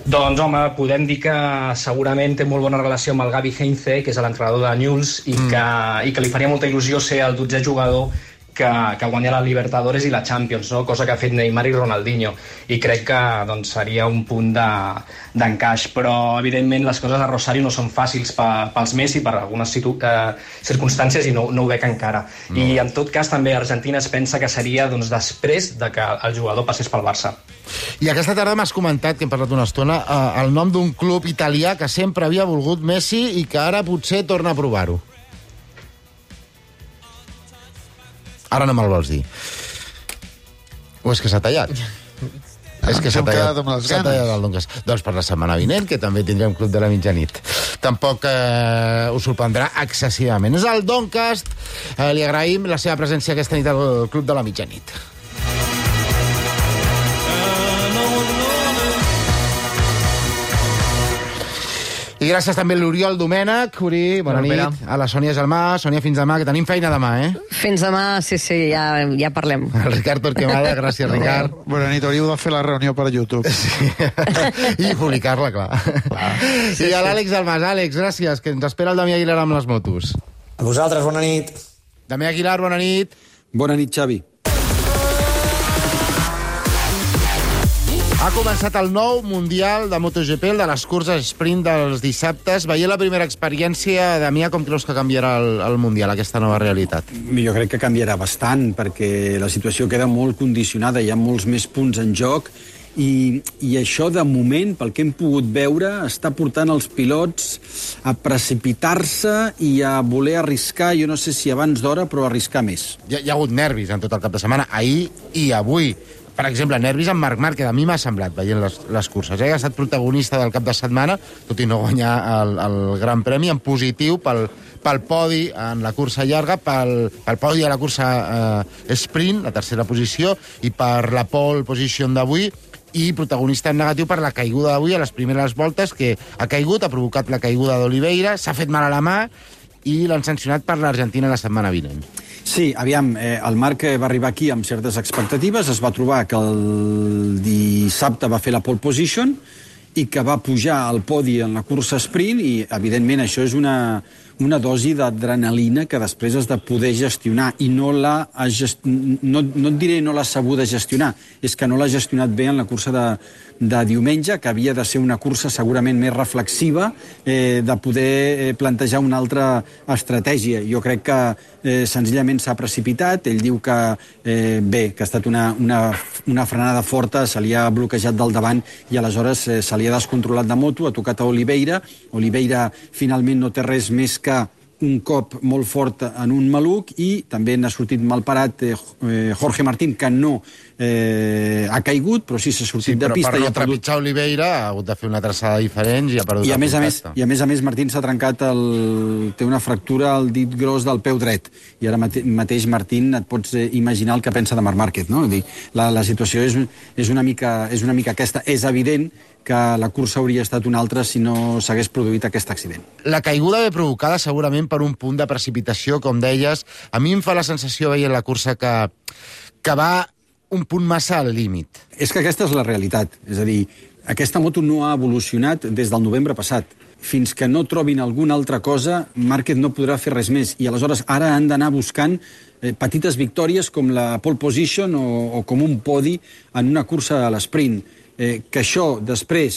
Doncs, home, podem dir que segurament té molt bona relació amb el Gavi Heinze, que és l'entrenador de Newell's, i, mm. que, i que li faria molta il·lusió ser el dotzè jugador que, que guanya la Libertadores i la Champions, no? Cosa que ha fet Neymar i Ronaldinho, i crec que doncs, seria un punt d'encaix, de, però evidentment les coses a Rosario no són fàcils pa, pels Messi per algunes situ, eh, circumstàncies, i no, no ho veig encara. No. I en tot cas també Argentina es pensa que seria doncs, després de que el jugador passés pel Barça. I aquesta tarda m'has comentat, que hem parlat una estona, eh, el nom d'un club italià que sempre havia volgut Messi i que ara potser torna a provar-ho. Ara no me'l vols dir. O és que s'ha tallat? És que s'ha tallat, s'ha tallat el Doncast. Doncs per la setmana vinent, que també tindrem Club de la Mitjanit. Tampoc eh, us sorprendrà excessivament. És el Doncast. Eh, li agraïm la seva presència aquesta nit al Club de la Mitjanit. I gràcies també a l'Oriol Domènech. Uri, bona nit. A la Sònia Gelmà. Sònia, fins demà, que tenim feina demà, eh? Fins demà, sí, sí, ja, ja parlem. El Ricard Torquemada, gràcies, Ricard. Bona nit, hauríeu de fer la reunió per YouTube. Sí. I publicar-la, clar. clar. Sí, I a l'Àlex Almas. Àlex, gràcies, que ens espera el Damià Aguilar amb les motos. A vosaltres, bona nit. Damià Aguilar, bona nit. Bona nit, Xavi. Ha començat el nou Mundial de MotoGP, el de les curses sprint dels dissabtes. Veient la primera experiència, Damià, com creus que canviarà el, el Mundial, aquesta nova realitat? Jo crec que canviarà bastant, perquè la situació queda molt condicionada, hi ha molts més punts en joc, i, i això, de moment, pel que hem pogut veure, està portant els pilots a precipitar-se i a voler arriscar, jo no sé si abans d'hora, però arriscar més. Hi ha, hi ha hagut nervis en tot el cap de setmana, ahir i avui. per exemple, nervis amb Marc Márquez. A mi m'ha semblat, veient les, les curses. Eh? Ha estat protagonista del cap de setmana, tot i no guanyar el, el Gran Premi, en positiu pel, pel podi en la cursa llarga, pel, pel podi a la cursa eh, sprint, la tercera posició, i per la pole position d'avui, i protagonista en negatiu per la caiguda d'avui a les primeres voltes, que ha caigut, ha provocat la caiguda d'Oliveira, s'ha fet mal a la mà i l'han sancionat per l'Argentina la setmana vinent. Sí, aviam, eh, el Marc va arribar aquí amb certes expectatives, es va trobar que el dissabte va fer la pole position i que va pujar al podi en la cursa sprint i, evidentment, això és una, una dosi d'adrenalina que després has de poder gestionar i no la ha gest... no, no et diré no l'ha sabuda gestionar, és que no l'ha gestionat bé en la cursa de, de diumenge, que havia de ser una cursa segurament més reflexiva, eh, de poder plantejar una altra estratègia. Jo crec que eh, senzillament s'ha precipitat, ell diu que eh, bé, que ha estat una, una, una frenada forta, se li ha bloquejat del davant i aleshores eh, se li ha descontrolat de moto, ha tocat a Oliveira, Oliveira finalment no té res més que un cop molt fort en un maluc i també n'ha sortit mal parat eh, Jorge Martín, que no eh, ha caigut, però sí s'ha sortit sí, de pista. Per no i ha perdut... trepitjar Oliveira ha hagut de fer una traçada diferent i ha perdut I a el més a més, contacte. I a més a més Martín s'ha trencat el... té una fractura al dit gros del peu dret i ara mate... mateix Martín et pots imaginar el que pensa de Marc Márquez, no? Dir, la, la situació és, és, una mica, és una mica aquesta. És evident que la cursa hauria estat una altra si no s'hagués produït aquest accident. La caiguda ve provocada segurament per un punt de precipitació, com deies. A mi em fa la sensació, veient la cursa, que, que va un punt massa al límit. És que aquesta és la realitat. És a dir, aquesta moto no ha evolucionat des del novembre passat. Fins que no trobin alguna altra cosa, Márquez no podrà fer res més. I aleshores ara han d'anar buscant eh, petites victòries com la pole position o, o com un podi en una cursa a l'esprint. Eh, que això després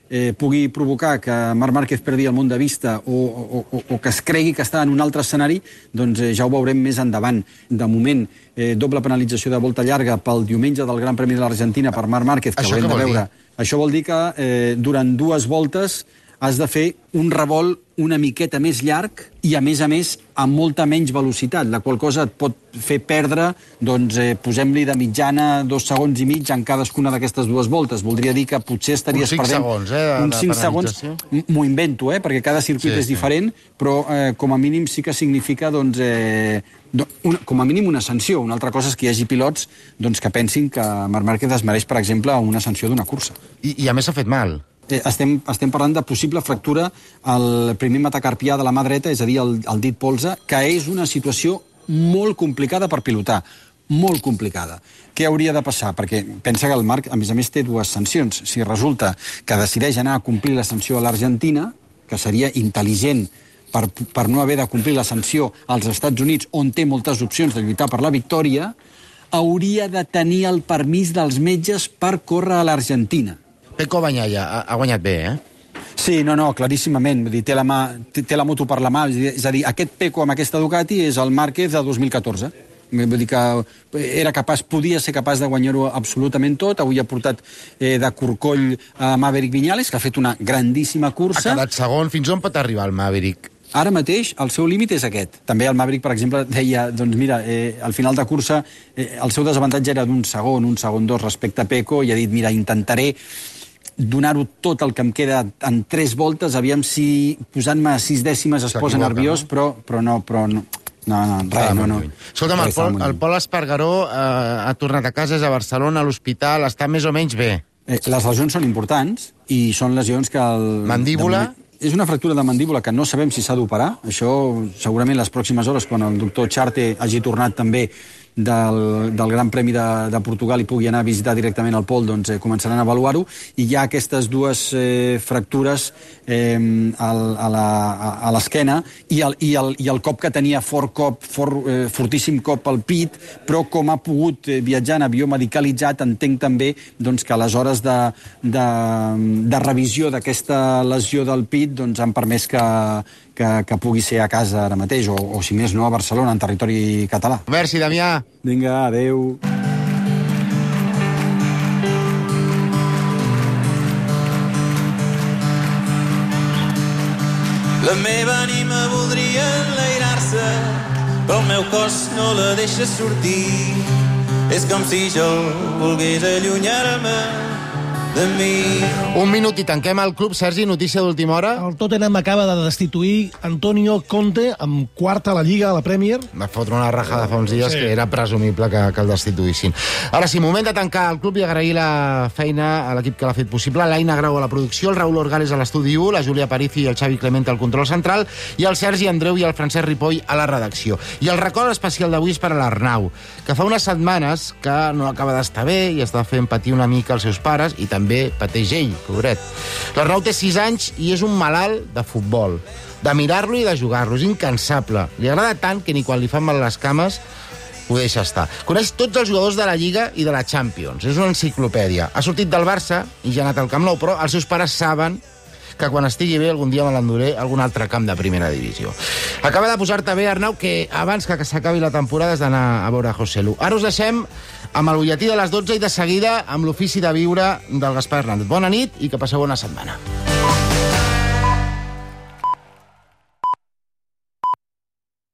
eh, pugui provocar que Marc Márquez perdi el món de vista o, o, o, o que es cregui que està en un altre escenari, doncs eh, ja ho veurem més endavant. De moment, eh, doble penalització de volta llarga pel diumenge del Gran Premi de l'Argentina per Marc Márquez, que Això haurem què de vol veure. dir? Això vol dir que eh, durant dues voltes has de fer un revolt una miqueta més llarg i, a més a més, amb molta menys velocitat, la qual cosa et pot fer perdre, doncs, eh, posem-li de mitjana dos segons i mig en cadascuna d'aquestes dues voltes. Voldria dir que potser estaries uns cinc perdent... segons, eh, de, uns cinc segons, m'ho invento, eh, perquè cada circuit Sí, és sí. diferent, però eh, com a mínim sí que significa, doncs, eh, do- una, com a mínim una sanció. Una altra cosa és que hi hagi pilots doncs, que pensin que Marc Márquez es mereix, per exemple, una sanció d'una cursa. I, i a més s'ha fet mal. Eh, estem, estem parlant de possible fractura al primer metacarpià de la mà dreta, és a dir, el, el dit polze, que és una situació molt complicada per pilotar, molt complicada. Què hauria de passar? Perquè pensa que el Marc, a més a més, té dues sancions. Si resulta que decideix anar a complir la sanció a l'Argentina, que seria intel·ligent per, per no haver de complir la sanció als Estats Units, on té moltes opcions de lluitar per la victòria, hauria de tenir el permís dels metges per córrer a l'Argentina. Pecco Bagnaia ha, ha guanyat bé, eh? Sí, no, no, claríssimament. Vull dir, té, la mà, té, té la moto per la mà. És a dir, aquest Pecco amb aquesta Ducati és el Márquez de dos mil catorze. Vull dir que era capaç, podia ser capaç de guanyar-ho absolutament tot. Avui ha portat eh, de corcoll a Maverick Viñales, que ha fet una grandíssima cursa. Ha quedat segon. Fins on pot arribar el Maverick? Ara mateix el seu límit és aquest. També el Maverick, per exemple, deia, doncs mira, eh, al final de cursa eh, el seu desavantatge era d'un segon, un segon dos respecte a Pecco, i ha dit, mira, intentaré donar-ho tot el que em queda en tres voltes, aviam si posant-me a sis dècimes es posa nerviós, no? però, però no, però no. No, no, res, no, no. Escolta'm, el Pol, el Pol Espargaró eh, ha tornat a casa, és a Barcelona, a l'hospital, està més o menys bé. Eh, les lesions són importants i són lesions que... El, Mandíbula? És una fractura de mandíbula que no sabem si s'ha d'operar. Això segurament les pròximes hores, quan el doctor Charte hagi tornat també del, del Gran Premi de, de Portugal i pugui anar a visitar directament el Pol, doncs eh, començaran a avaluar-ho, i hi ha aquestes dues eh, fractures eh, al, a la, a l'esquena i, el, i, el, i el cop que tenia fort cop, fort, eh, fortíssim cop al pit, però com ha pogut eh, viatjar en avió medicalitzat, entenc també doncs, que a les hores de, de, de revisió d'aquesta lesió del pit doncs, han permès que, que, que pugui ser a casa ara mateix, o, o si més no a Barcelona, en territori català. Merci, Damià. Vinga, adeu. La meva ànima voldria enlairar-se, però el meu cos no la deixa sortir. És com si jo volgués allunyar-me de mi. Un minut i tanquem el club. Sergi, notícia d'última hora. El Tottenham acaba de destituir Antonio Conte amb quarta a la Lliga, a la Premier. Va fotre una rajada fa uns dies Sí. que era presumible que, que el destituïssin. Ara sí, moment de tancar el club i agrair la feina a l'equip que l'ha fet possible. L'Aina Grau a la producció, el Raül Orgales a l'estudi u, la Júlia Parici i el Xavi Clemente al control central i el Sergi Andreu i el Francesc Ripoll a la redacció. I el record especial d'avui és per a l'Arnau, que fa unes setmanes que no acaba d'estar bé i està fent patir una mica els seus pares i també pateix ell, pobret. L'Arnau té sis anys i és un malalt de futbol, de mirar-lo i de jugar-lo, és incansable. Li agrada tant que ni quan li fan mal les cames ho deixa estar. Coneix tots els jugadors de la Lliga i de la Champions, és una enciclopèdia. Ha sortit del Barça i ja ha anat al Camp Nou, però els seus pares saben que quan estigui bé algun dia me l'enduré a algun altre camp de primera divisió. Acaba de posar-te bé, Arnau, que abans que s'acabi la temporada has d'anar a veure José Lu. Ara us deixem amb el butlletí de les dotze i de seguida amb l'ofici de viure del Gaspar Hernández. Bona nit i que passeu bona setmana.